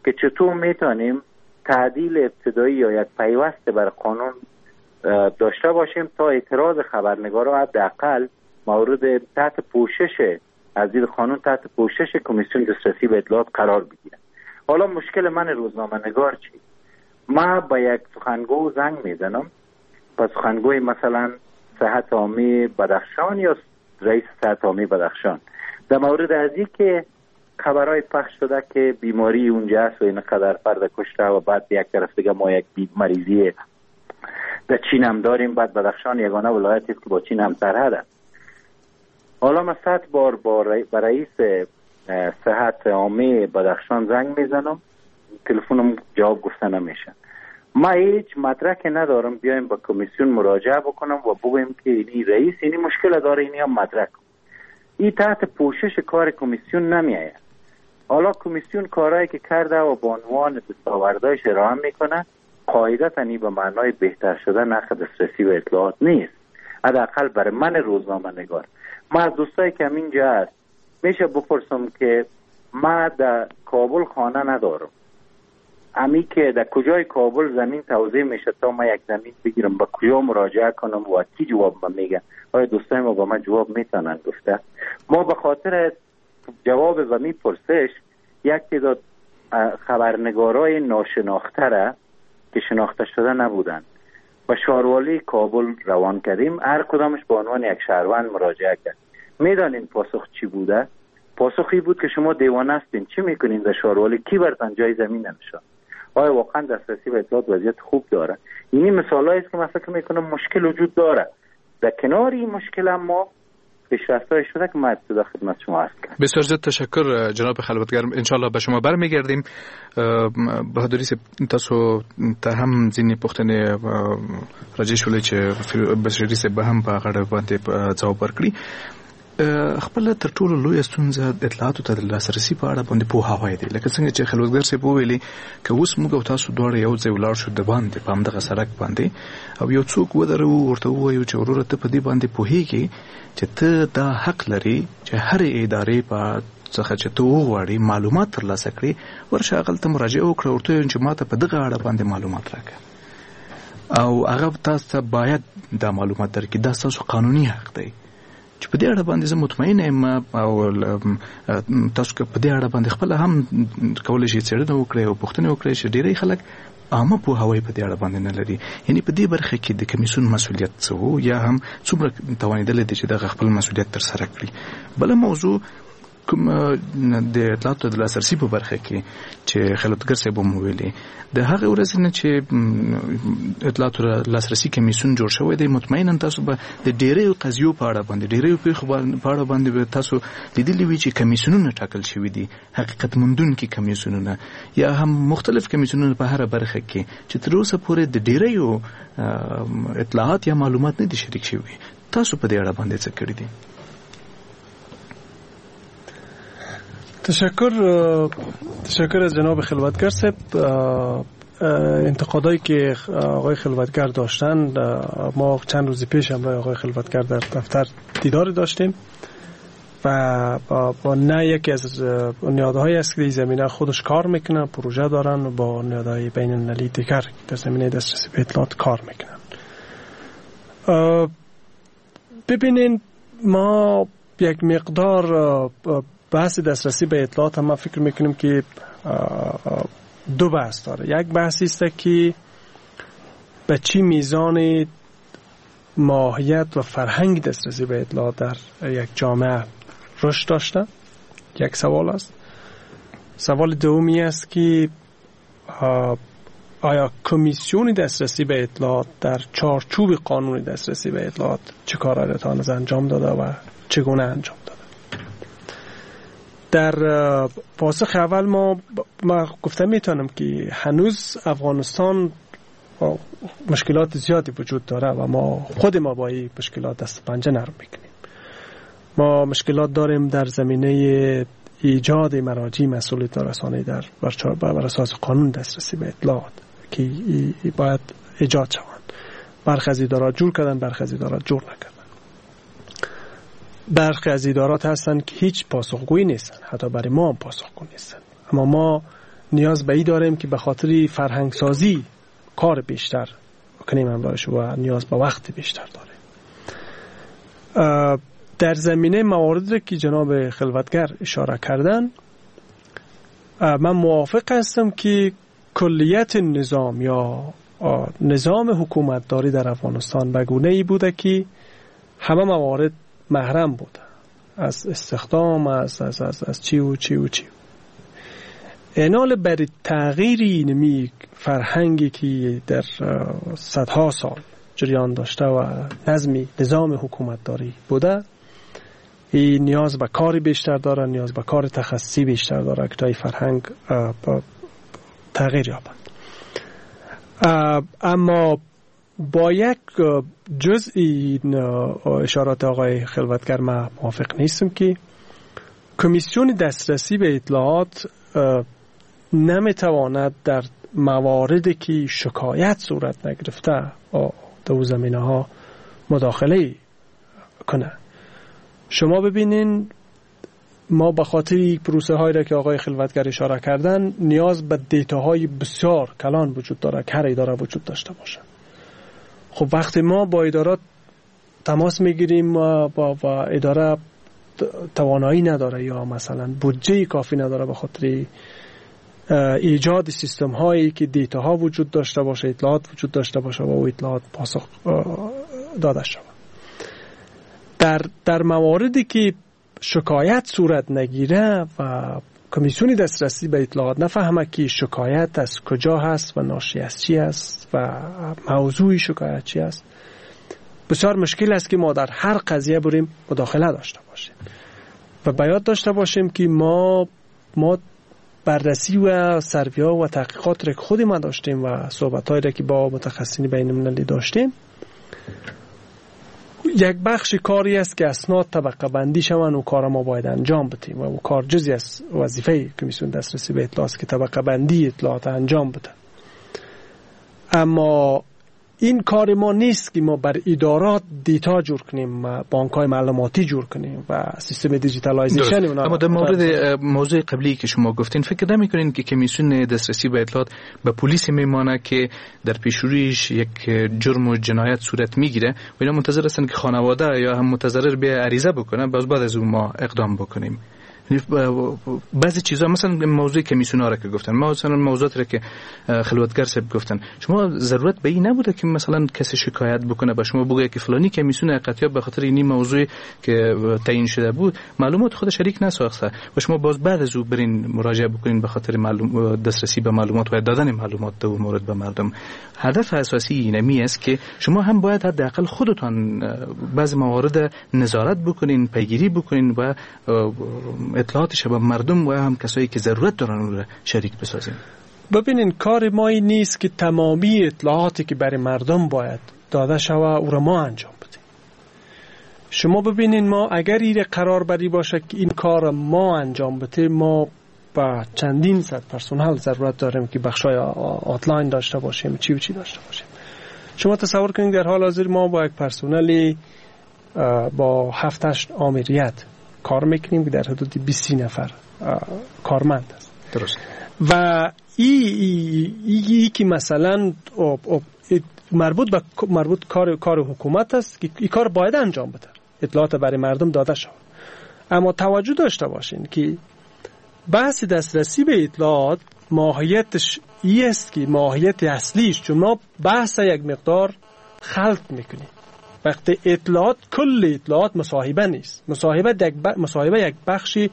که چطور میتونیم تعدیل ابتدایی یا یک پیوست بر قانون داشته باشیم تا اعتراض خبرنگارا حداقل مورد تحت پوشش از دید قانون تحت پوشش کمیسیون دسترسی به اطلاعات قرار بگیره. حالا مشکل من روزنامه نگار چی؟ ما با یک سخنگو زنگ میزنم، با سخنگوی مثلا صحت عامه بدخشان یا رئیس صحت عامه بدخشان، در مورد از این که خبرهای پخش شده که بیماری اونجا است و اینقدر فرد کشته و بعد یک طرف دیگه ما یک مریضی در چین هم داریم، بعد بدخشان یگانه ولایتی است که با چین هم سرحد است. حالا من 100 بار با رئیس صحت عامه بدخشان زنگ میزنم، تلفنم جواب گفته نمیشه. ما هیچ مدرک ندارم بیایم با کمیسیون مراجعه بکنم و بگویم که اینی رئیس اینی مشکل داره، اینی هم مدرک. این تحت پوشش کار کمیسیون نمیآید. حالا کمیسیون کارهایی که کرده و به عنوان دستاوردهایش ارائه میکنه، قاعدتاً این به معنای بهتر شدن حق دسترسی به اطلاعات نیست، حداقل برای من روزنامه نگار. ما از دوستایی که اینجا هست میشه بپرسم که ما در کابل خانه ندارم، امی که در کجای کابل زمین توزیع میشه تا ما یک زمین بگیرم، با کجا مراجعه کنم و کی جواب ما میگه؟ آیا دوستای ما با من جواب میتونن گفته؟ ما به خاطر جواب و می پرسش یک تعداد خبرنگارای ناشناخته را که شناخته شده نبودن و شاروالی کابل روان کردیم، هر کدامش به عنوان یک شهروند مراجعه کرد. میدانین پاسخ چی بوده؟ پاسخی بود که شما دیوانه هستین، چی میکنین در شاروالی؟ کی برتن جای زمین نمیشه؟ آیا واقعا دسترسی به اطلاعات وضعیت خوب داره؟ اینی مثالایی است که من فکر میکنم مشکل وجود داره. در کنار این مشکل هم ما پیشرفت‌های شده که ما ابتدا خدمت شما عرض کردم. بسیار زیاد تشکر جناب خلوتگر، ان شاء الله به شما برمیگردیم. بهادری صاحب، تاسو ته هم ځینې پوښتنې راجع شولې چې بشری صاحب به هم په هغه باندې ځواب ورکړي. خپل تر ټولو لویه ستونزه اطلاعاتو ته د لاسرسي په اړه باندې پوهاوی دی. لکه څنګه چې خلوتګر صاحب وویلې که اوس موږ او تاسو دواړه یو ځای ولاړ شو د باندې په همدغه سړک باندې او یو څوک ودرو ورته ووایو چې وروره ته په دې باندې پوهیږې چې ته دا حق لرې چې هرې ادارې په څخه چې ته وغواړې معلومات ترلاسه کړې، ورشه هغلته مراجعه وکړه، ورته ووایه چې ماته په دغه اړه باندې معلومات راکړه، او هغه تاسو ته باید دا معلومات درکړي. دا ستاسو قانوني حق دی چې په دې اړه باندې زه مطمئن یم او تاسو که په دې اړه باندې خپله هم کولی شئ څېړنه وکړئ او پوښتنې وکړئ چې ډېری خلک عامه پوهاوی په دې اړه باندې نه لري. یعنی په دې برخه کې د کمیسیون مسؤلیت څه وو یا هم څومره توانېدلی دی چې دغه خپل مسؤلیت ترسره کړي؟ بله موضوع کوم د اطلاعاتو د لاسرسي په برخه کې چې خلوتګر صاحب هم ویلي، د هغې ورځې نه چې اطلاعاتو لاسرسي کمیسیون جوړ شوی دی، مطمئنا تاسو به د ډېریو قضیو په اړه باندې، ډېریو پېښو په اړه باندې به تاسو لیدلي وي چې کمیسیونونه ټاکل شوي دي، حقیقت موندونکي کمیسیونونه یا هم مختلف کمیسیونونه په هره برخه کې چې تر اوسه پورې د ډېریو اطلاعات یا معلومات نه دي شریک شوي. تاسو په دې اړه باندې څه کړي دي؟ تشکر از جناب خلوتگر صاحب. انتقادایی که آقای خلوتگر داشتن، ما چند روز پیش همراه آقای خلوتگر در دفتر دیدار داشتیم و با نه یکی از نهادهایی است که در زمینه خودش کار میکنه، پروژه دارن و با نهادهای بین المللی دیگر در زمینه دسترسی به اطلاعات کار میکنن. ببینین، ما یک مقدار بحث دسترسی به اطلاعات هم ما فکر میکنیم که دو بحث داره. یک بحثی است که به چی میزان ماهیت و فرهنگ دسترسی به اطلاعات در یک جامعه رشد داشته، یک سوال است. سوال دومی است که آیا کمیسیون دسترسی به اطلاعات در چارچوب قانون دسترسی به اطلاعات چه کارهایی تا هنوز انجام داده و چگونه انجام داده. در پاسخ اول ما گفته میتونم که هنوز افغانستان مشکلات زیادی وجود داره و ما خود ما با این مشکلات دست پنجه نرم میکنیم. ما مشکلات داریم در زمینه ایجاد مراجع مسئولیت رسانه‌ای در بر اساس قانون دسترسی به اطلاعات که باید ایجاد شوند. برخی از ادارات جور کردن، برخی از ادارات جور نکردن. برخی از ادارات هستند که هیچ پاسخگویی نیستن، حتی برای ما هم پاسخگو نیستن. اما ما نیاز به این داریم که به خاطر فرهنگ سازی کار بیشتر کنیم همراهش و نیاز به وقت بیشتر داریم. در زمینه مواردی که جناب خلوتگر اشاره کردن، من موافق هستم که کلیت نظام یا نظام حکومتداری در افغانستان به گونه ای بوده که همه موارد محرم بوده، از استخدام، از از از از چی و چی و چی. اینال برای تغییر اینمی فرهنگی که در صدها سال جریان داشته و نظمی نظام حکومتداری بوده، این نیاز به کار بیشتر داره، نیاز به کار تخصصی بیشتر داره که تا این فرهنگ تغییر یابد. اما با یک جزئی اشارات آقای خلوتگر من موافق نیستم که کمیسیون دسترسی به اطلاعات نمیتواند در مواردی که شکایت صورت نگرفته در زمینه ها مداخله کنه. شما ببینین ما به خاطر پروسه هایی را که آقای خلوتگر اشاره کردن نیاز به data های بسیار کلان وجود داره که هر اداره وجود داشته باشه. خب وقتی ما با ادارات تماس میگیریم و اداره توانایی نداره یا مثلا بودجه کافی نداره به خاطر ایجاد سیستم هایی که data ها وجود داشته باشه، اطلاعات وجود داشته باشه و او اطلاعات پاسخ داده شود. در مواردی که شکایت صورت نگیره و کمیسیون دسترسی به اطلاعات نفهمه که شکایت از کجا هست و ناشی از چی است و موضوع شکایت چی است، بسیار مشکل است که ما در هر قضیه بریم مداخله داشته باشیم. و باید داشته باشیم که ما بررسی و سرویا و تحقیقات را که خود ما داشتیم و صحبت‌هایی را که با متخصصین بین‌المللی داشتیم، یک بخش کاری است که اسناد طبقه بندی شوند و کار ما باید انجام بدیم و کار جزئی از وظیفه کمیسیون دسترسی به اطلاعات که طبقه بندی اطلاعات انجام بده. اما این کار ما نیست که ما بر ادارات data جور کنیم، بانک های معلوماتی جور کنیم و سیستم digitalization اونا. اما در مورد موضوع قبلی که شما گفتین، فکر نمی‌کنین که کمیسیون دسترسی به اطلاعات به پلیس میمانه که در پیشرویش یک جرم و جنایت صورت میگیره و اینا منتظر هستن که خانواده یا هم متضرر به عریضه بکنه، باز بعد از اون ما اقدام بکنیم؟ بعضی چیزا مثلا موضوع کمیسیون ها را که گفتن، مثلا موضوعات را که خلوتگر صاحب گفتن، شما ضرورت به این نبوده که مثلا کسی شکایت بکنه به شما بگه که فلانی کمیسیون قطعی به خاطر این موضوع که تعیین شده بود معلومات خود شریک نساخته و شما باز بعد از او برین مراجعه بکنین به خاطر معلوم دسترسی به معلومات و دادن معلومات در مورد به مردم. هدف اساسی اینمی است که شما هم باید حداقل خودتان بعضی موارد نظارت بکنین، پیگیری بکنین و اطلاعاتش به مردم و هم کسایی که ضرورت دارن اون را شریک بسازیم. ببینین کار ما این نیست که تمامی اطلاعاتی که برای مردم باید داده شوه او را ما انجام بدیم. شما ببینین ما اگر این قرار بری باشه که این کار ما انجام بده، ما با چندین صد پرسنل ضرورت داریم که بخشای آتلاین داشته باشیم، چی و چی داشته باشیم. شما تصور کنید در حال حاضر ما با یک پرسنلی با 7-8 آمریت کار میکنیم که در حدود 20 نفر کارمند است. درست. و ای که مثلا مربوط به مربوط کار حکومت است که این کار باید انجام بده، اطلاعات برای مردم داده شود. اما توجه داشته باشین که بحث دسترسی به اطلاعات ماهیتش ای است که ماهیت اصلیش، چون ما بحث یک مقدار خلط میکنیم. وقتی اطلاعات، کل اطلاعات مصاحبه نیست. مصاحبه یک بخشی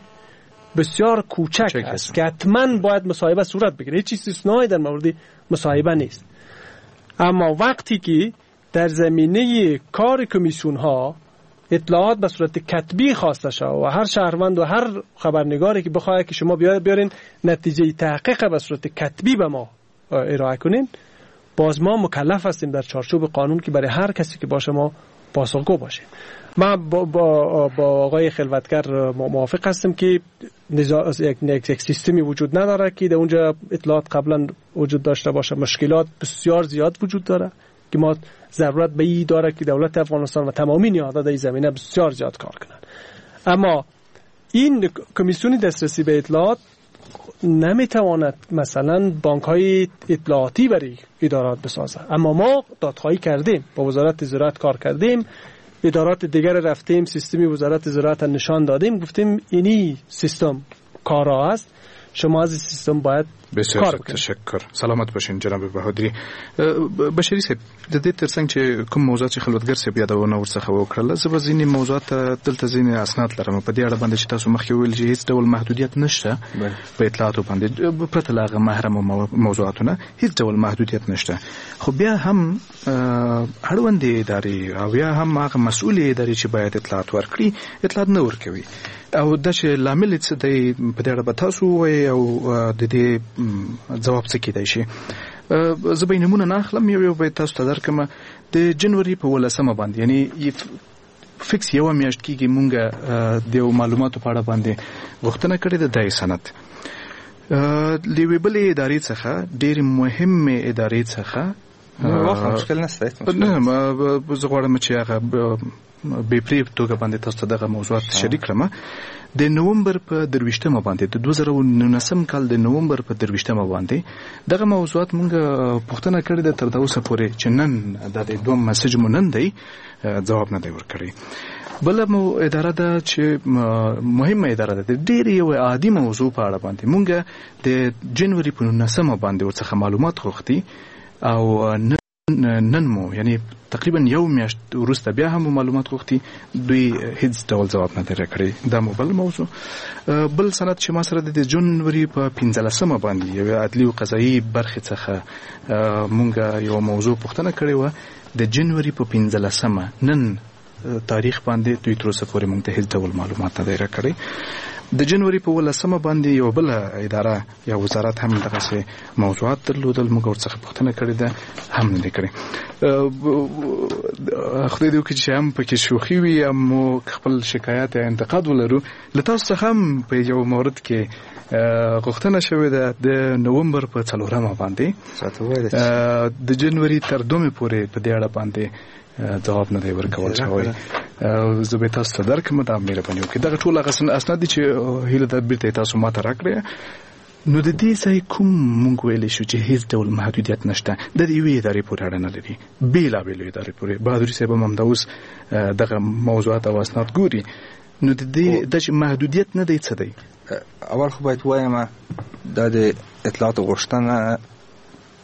بسیار کوچک است که حتما باید مصاحبه صورت بگیره. هیچ استثنایی در مورد مصاحبه نیست. اما وقتی که در زمینه کار کمیسیون ها اطلاعات به صورت کتبی خواسته شود و هر شهروند و هر خبرنگاری که بخواهد که شما بیارین نتیجه تحقیق به صورت کتبی به ما ارائه کنین، باز ما مکلف هستیم در چارچوب قانون که برای هر کسی که باشه ما پاسخگو باشیم. ما با آقای خلوتگر موافق هستم که یک سیستمی وجود نداره که در اونجا اطلاعات قبلا وجود داشته باشه. مشکلات بسیار زیاد وجود داره که ما ضرورت به این داره که دولت افغانستان و تمامی نهادها در این زمینه بسیار زیاد کار کنند. اما این کمیسیون دسترسی به اطلاعات نمیتواند مثلا بانک های اطلاعاتی برای ادارات بسازه. اما ما دادخواهی کردیم، با وزارت زراعت کار کردیم، ادارات دیگر رفتیم، سیستمی وزارت زراعت نشان دادیم، گفتیم اینی سیستم کارا است، شما از این سیستم باید بسیار تشکر. سلامت باشین جناب بهادری. بشری صاحب، د دې ترڅنګ چې کوم موضوع چې خلوتګر صاحب یادونه ورڅخه وکړله، زه به ځینې موضوعات دلته ځینې اسناد لرم په دې اړه باندې چې تاسو مخکې وویل چې هیڅ ډول محدودیت نشته په اطلاعاتو باندې، پرته له هغه محرمو موضوعاتو نه هیڅ ډول محدودیت نشته. خو بیا هم اړوندې ادارې او یا هم هغه مسؤلې ادارې چې باید اطلاعات ورکړي اطلاعات نه ورکوي، او دا چې لامل یې څه دی په دې اړه به تاسو ووایئ او د دې ځواب څه کېدای شي. زه به نمونه نه اخلم، یو به تاسو ته درکم. د جنوري په 18 باندې، یعنی فکس یو میاشت کېږي مونږ د یو معلوماتو په اړه باندې غوښتنه کړې ده. د سند له یوې بلې ادارې څخه، ډېرې مهمې ادارې څخه، واخله مشکل نشته، نه زه غواړم چې هغه بې پرې توګه باندې تاسو ته دغه موضوعات شریک کړم. د نومبر په 23 باندې، د 2019 کال د نومبر په 23 باندې دغه موضوعات مونږ پوښتنه کړې ده، تر دا اوسه پورې چې نن دا د دوم مسج مو نن دی ځواب نه دی ورکړی. بله مو اداره ده چې مهمه اداره ده، د ډېرې یو عادي موضوع په اړه باندې مونږ د جنوري په 19 باندې ورڅخه معلومات غوښتي او نن مو، یعنی تقریبا یو میاشت وروسته بیا هم معلومات غوښتي، دوی هیڅ ډول ځواب نه دی راکړی. دا مو بل موضوع. بل سند چې ما سره د جنوري په 15 باندې یوې عدلي او قضایي برخې څخه مونږ یو موضوع پوښتنه کړې وه، د جنوري په 15 نن تاریخ باندې دوی تر اوسه پورې مونږ ته هیڅ ډول معلومات نه دی راکړی. د جنوري په 18 باندې یو بل اداره یا وزارت هم دغسې موضوعات درلودل، موږ ورڅخه پوښتنه کړې ده، هم نه دی کړې. خدای دې وکړي چې هم پکې شوخي وي، هم مو خپل شکایت یا انتقاد ولرو. له تاسو څخه هم په یو مورد کې غوښتنه شوې ده، د نومبر په 4 باندې، د جنوري تر 2 پورې په دې اړه باندې ځواب نه دی ورکول شوی. زه به تاسو ته درکړم، دا مهرباني وکړئ. دغه ټول هغه اسناد دي چې هیله ده بیرته تاسو ماته راکړئ. نو د دې ځای کوم مونږ ویلی شو چې هیڅ ډول محدودیت نشته، د یوې ادارې پورې اړه نه لري، بېلابېلو ادارې پورې. بهادري صاحب هم همدا اوس دغه موضوعات او اسناد ګوري. نو د دې دا چې محدودیت نه دی څه دی؟ اول خو باید ووایم دا د اطلاعاتو غوښتنه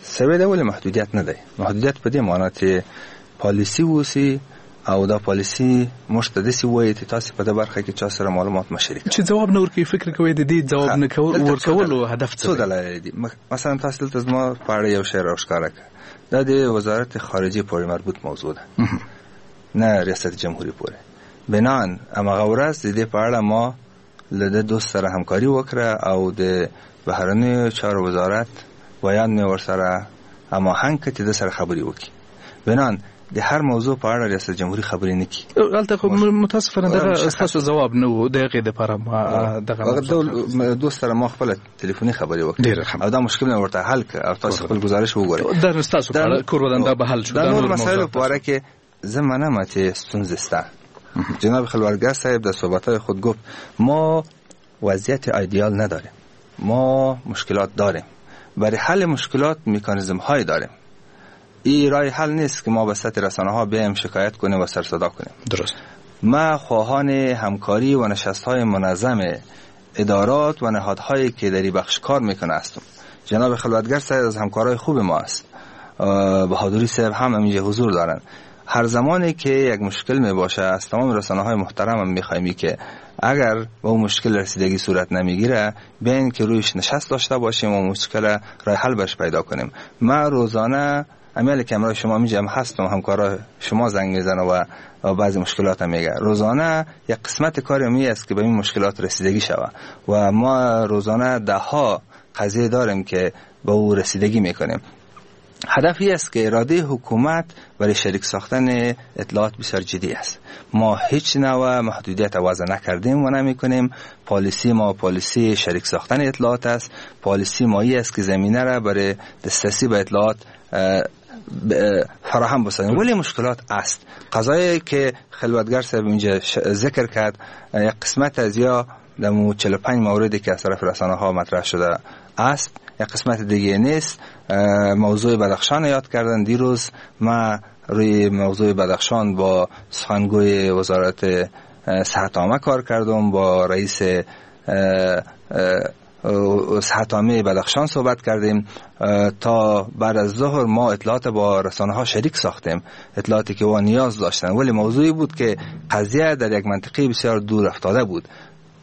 سوې ده، ولې محدودیت نه دی. محدودیت په دې معنا چې پالیسی اوسي او دا پالیسی موږ ته داسې وایي چې تاسو په دې برخه کې چا سره معلومات مه شریک چې ځواب نه ورکوي. فکر کوئ د دې ځواب نه ورکولو هدف څه څو دلایل دي؟ مثلا تاسو دلته زما په اړه یو شی راښکاره کړه، دا د وزارت خارجه پورې مربوط موضوع ده، نه ریاست جمهوري پورې. بناً هماغه ورځ د دې په اړه ما له ده دوست سره همکاري وکړه او د بهرنیو چارو وزارت ویاند مې ورسره هماهنګ کړ چې ده سره خبرې وکړي. بناً د هر موضوع په اړه ریاست جمهوري خبرې نه کوي. هلته خو متاسفانه دغه ستاسو ځواب نه و، د هغې دپاره دغه دوست سره ما خپله تلیفوني خبرې وکړې او دا مشکل مې ورته حل کړ او تاسو خپل ګزارش وګورئ. دا نو ستاسو په اړه کور ودان دا به حل شو. دا نور مسایلو په اړه کې زه منم چې ستونزې شته. جناب خلوتگر صاحب در صحبت‌های خود گفت ما وضعیت ایدئال نداریم، ما مشکلات داریم، برای حل مشکلات مکانیزم های داریم. این راه حل نیست که ما به سطح رسانه ها بیایم شکایت کنیم و سرصدا کنیم. درست. ما خواهان همکاری و نشست های منظم ادارات و نهادهایی که در این بخش کار میکنه هستم. جناب خلوتگر صاحب از همکارای خوب ما است، بهادری صاحب هم اینجا حضور دارند. هر زمانی که یک مشکل می باشه از تمام رسانه های محترم هم میخوایم که اگر به اون مشکل رسیدگی صورت نمیگیره بیاین که رویش نشست داشته باشیم و مشکل راه حل برش پیدا کنیم. ما روزانه امیال که امرای شما میجم هستم، همکارا شما زنگ میزنه و بعضی مشکلات هم میگه. روزانه یک قسمت کار می است که به این مشکلات رسیدگی شوه و ما روزانه ده ها قضیه داریم که به او رسیدگی میکنیم. هدف این است که اراده حکومت برای شریک ساختن اطلاعات بسیار جدی است. ما هیچ نوع محدودیت وضع نکردیم و نمی کنیم. پالیسی ما پالیسی شریک ساختن اطلاعات است. پالیسی ما این است که زمینه را برای دسترسی به اطلاعات فراهم بسازیم، ولی مشکلات است. قضایی که خلوتگر صاحب اینجا ذکر کرد یک قسمت از یا در 45 موردی که از طرف رسانه ها مطرح شده است، یک قسمت دیگه نیست. موضوع بدخشان یاد کردن. دیروز ما روی موضوع بدخشان با سخنگوی وزارت صحت عامه کار کردم، با رئیس صحت عامه بدخشان صحبت کردیم. تا بعد از ظهر ما اطلاعات با رسانه ها شریک ساختیم، اطلاعاتی که وا نیاز داشتن، ولی موضوعی بود که قضیه در یک منطقه بسیار دور افتاده بود.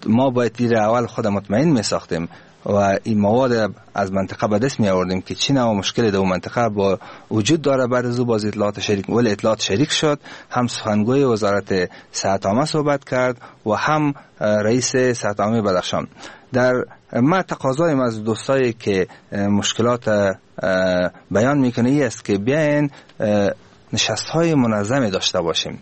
ما باید دیر اول خود مطمئن می ساختیم و این مواد از منطقه به دست می آوردیم که چی نوع مشکل در منطقه با وجود داره. بعد از او باز اطلاعات شریک، ولی اطلاعات شریک شد. هم سخنگوی وزارت صحت عامه صحبت کرد و هم رئیس صحت عامه بدخشان. در ما تقاضایم از دوستایی که مشکلات بیان میکنه این است که بیاین نشست های منظم داشته باشیم.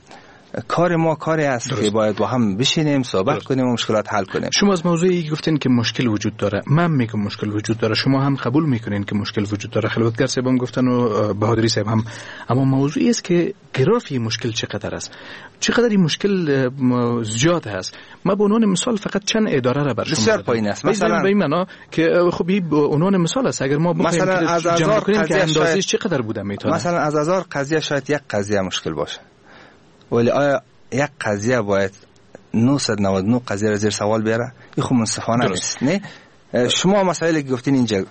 کار ما کاری است که باید با هم بشینیم، صحبت کنیم و مشکلات حل کنیم. شما از موضوعی گفتین که مشکل وجود داره، من میگم مشکل وجود داره، شما هم قبول میکنین که مشکل وجود داره، خلوتگر صاحب هم گفتن و بهادری صاحب هم، اما موضوعی است که گرافی مشکل چقدر است، چقدر این مشکل زیاد هست. ما به عنوان مثال فقط چند اداره را بر شما بسیار پایین است، مثلا به این معنا که خب این به عنوان مثال است، اگر ما بخوایم جمع کنیم که اندازه‌اش چقدر بوده میتونه، مثلا از هزار قضیه شاید یک قضیه مشکل باشه، ولی آیا یک قضیه باید 999 قضیه را زیر سوال بیاره؟ این خب منصفانه نیست. نه شما مسائلی که گفتین اینجا،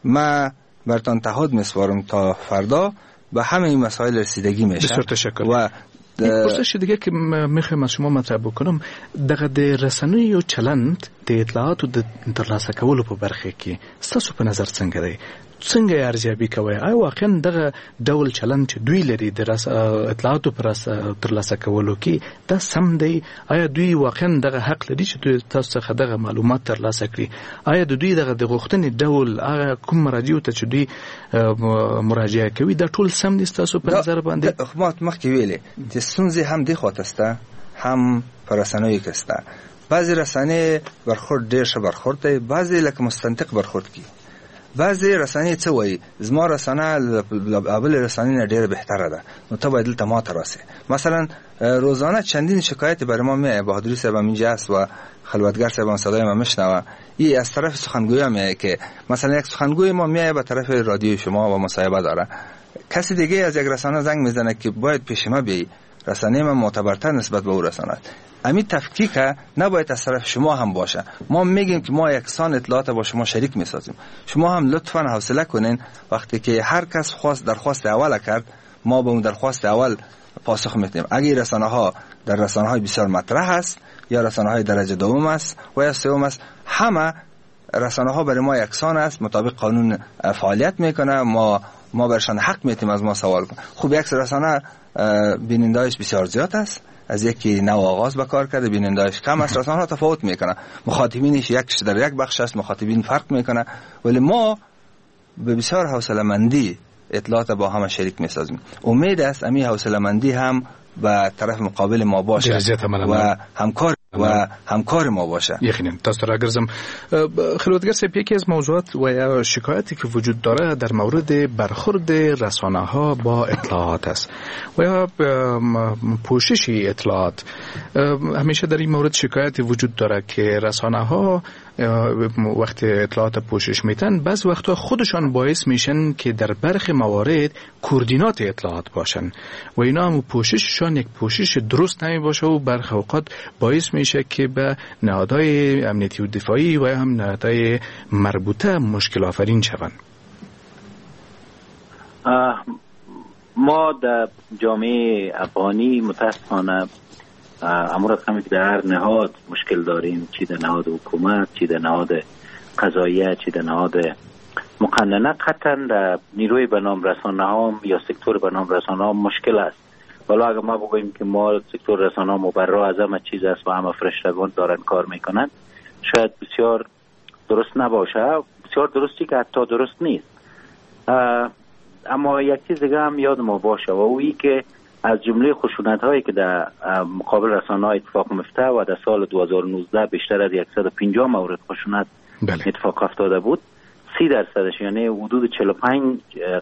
ما براتون تعهد میسپارم تا فردا به همه این مسائل رسیدگی میشه. بسیار تشکر. و یک پرسش دیگه که میخوایم از شما مطرح بکنم، دغه د رسنیو چلند د اطلاعاتو د ترلاسه کولو په برخه کې ستاسو په نظر څنګه دی؟ څنګه یې ارزیابي کوئ؟ آیا واقعا دغه ډول چلند چې دوی لري د اطلاعاتو پر ترلاسه کولو کې دا سم دی؟ آیا دوی واقعا دغه حق لري چې دوی تاسو څخه دغه معلومات ترلاسه کړي؟ آیا د دوی دغه د غوښتنې ډول هغه کوم مراجعو ته چې دوی مراجعه کوي دا ټول سم دي ستاسو په نظر باندې؟ ما مخکې ویلې چې ستونزې هم دې خواته شته، هم په رسنیو کې شته. بعضې رسنۍ برخورد ډېر ښه برخورد دی، بعضې لکه مستنطق برخورد کوي. بعضې رسنۍ څه وایي، زما رسنه له بلې رسنې نه ډېره بهتره ده، نو ته باید دلته ما ته راسې. مثلا روزانه چندین شکایت برای ما میایه، بهادری صاحب هم اینجا است و خلوتگر صاحب هم صدای ما میشنوه، ای از طرف سخنگوی میایه که مثلا یک سخنگوی ما میایه به طرف رادیوی شما و مصاحبه داره، کسی دیگه از یک رسانه زنگ میزنه که باید پیش ما بیایی، رسانه ما معتبرتر نسبت به او رسانه. امی تفکیک نباید از طرف شما هم باشه. ما میگیم که ما یکسان اطلاعات با شما شریک میسازیم، شما هم لطفا حوصله کنین، وقتی که هر کس خواست درخواست اول کرد ما به اون درخواست اول پاسخ میدیم. اگر رسانه ها در رسانه های بسیار مطرح است یا رسانه های درجه دوم است و یا سوم است، همه رسانه ها برای ما یکسان است، مطابق قانون فعالیت میکنه، ما برشان حق میتیم از ما سوال کنه. خب یک رسانه بیننده‌اش بسیار زیاد است، از یکی نو آغاز به کار کرده، بیننده‌اش کم است، رسانه ها تفاوت میکنه، مخاطبینش یک در یک بخش است، مخاطبین فرق میکنه، ولی ما به بسیار حوصله مندی اطلاعات با همه شریک میسازیم. امید است امی حوصله مندی هم به طرف مقابل ما باشه و همکار ما باشه. یقینا تاسو راګرځم. خلوتګر صاحب، یکی از موضوعات و یا شکایتی که وجود داره در مورد برخورد رسانه ها با اطلاعات است و یا پوشش اطلاعات. همیشه در این مورد شکایت وجود داره که رسانه ها وقتی اطلاعات پوشش میتن بعض وقتا خودشان باعث میشن که در برخی موارد کوردینات اطلاعات باشن و اینا هم پوشششان یک پوشش درست نمی باشه و برخی اوقات باعث میشه که به نهادهای امنیتی و دفاعی و هم نهادهای مربوطه مشکل آفرین شوند. ما در جامعه افغانی متاسفانه امور رقمی که در هر نهاد مشکل داریم، چی در نهاد حکومت، چی در نهاد قضاییه، چی در نهاد مقننه، قطعا در نیروی به نام رسانه ها یا سکتور به نام رسانه ها مشکل است. ولی اگر ما بگوییم که ما سکتور رسانه ها مبرا از همه چیز است و همه فرشتگان دارن کار میکنن، شاید بسیار درست نباشه، بسیار درستی که حتی درست نیست. اما یک چیز دیگه هم یاد ما باشه و اویی که از جمله خشونت هایی که در مقابل رسانه ها اتفاق میفته و در سال 2019 بیشتر از 150 مورد خشونت اتفاق افتاده بود، 30% یعنی حدود 45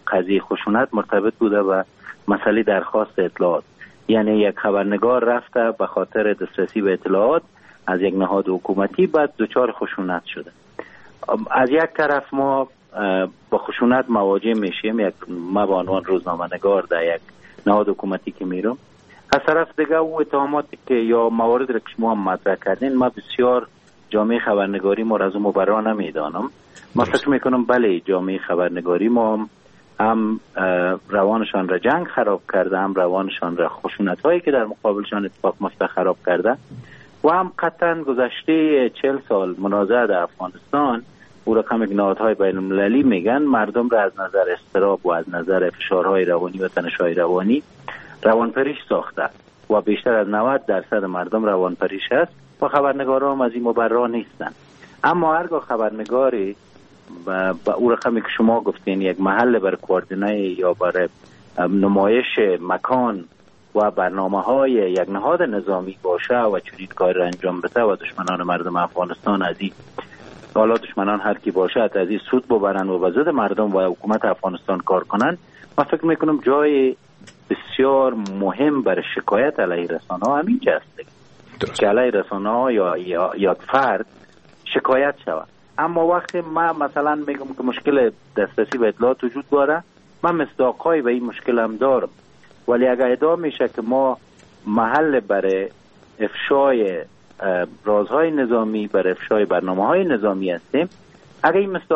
قضیه خشونت مرتبط بوده و مسئله درخواست اطلاعات. یعنی یک خبرنگار رفته به خاطر دسترسی به اطلاعات از یک نهاد حکومتی، بعد دچار خشونت شده. از یک طرف ما با خشونت مواجه میشیم، یک ما به عنوان روزنامه‌نگار در یک نهاد حکومتی که میرم، از طرف دیگه او اتهاماتی که یا موارد را که شما هم مطرح کردین، ما بسیار جامعه خبرنگاری ما را از اون مبرا نمیدانم. ما فکر میکنم بله جامعه خبرنگاری ما هم روانشان را جنگ خراب کرده، هم روانشان را خشونت هایی که در مقابلشان اتفاق میفته خراب کرده و هم قطعا گذشته 40 سال منازعه در افغانستان او رقم نهادهای بین المللی میگن مردم را از نظر اضطراب و از نظر فشارهای روانی و تنش‌های روانی روانپریش ساخته و بیشتر از 90% مردم روانپریش است و خبرنگاران هم از این مبرا نیستن. اما هرگاه خبرنگاری با او رقمی که شما گفتین یک محل بر کوردینه یا بر نمایش مکان و برنامه های یک نهاد نظامی باشه و چنین کار را انجام بده و دشمنان مردم افغانستان از این، حالا دشمنان هر کی باشد، از این سود ببرن و به ضد مردم و حکومت افغانستان کار کنن، من فکر میکنم جای بسیار مهم برای شکایت علیه رسانه ها همینجا است که علیه رسانه ها یا فرد شکایت شود. اما وقتی من مثلا میگم که مشکل دسترسی به اطلاعات وجود داره، من مصداق‌هایی به این مشکل هم دارم، ولی اگر ادعا میشه که ما محل برای افشای رازهای نظامی، برای افشای برنامه‌های نظامی هستیم، اگر این مصداق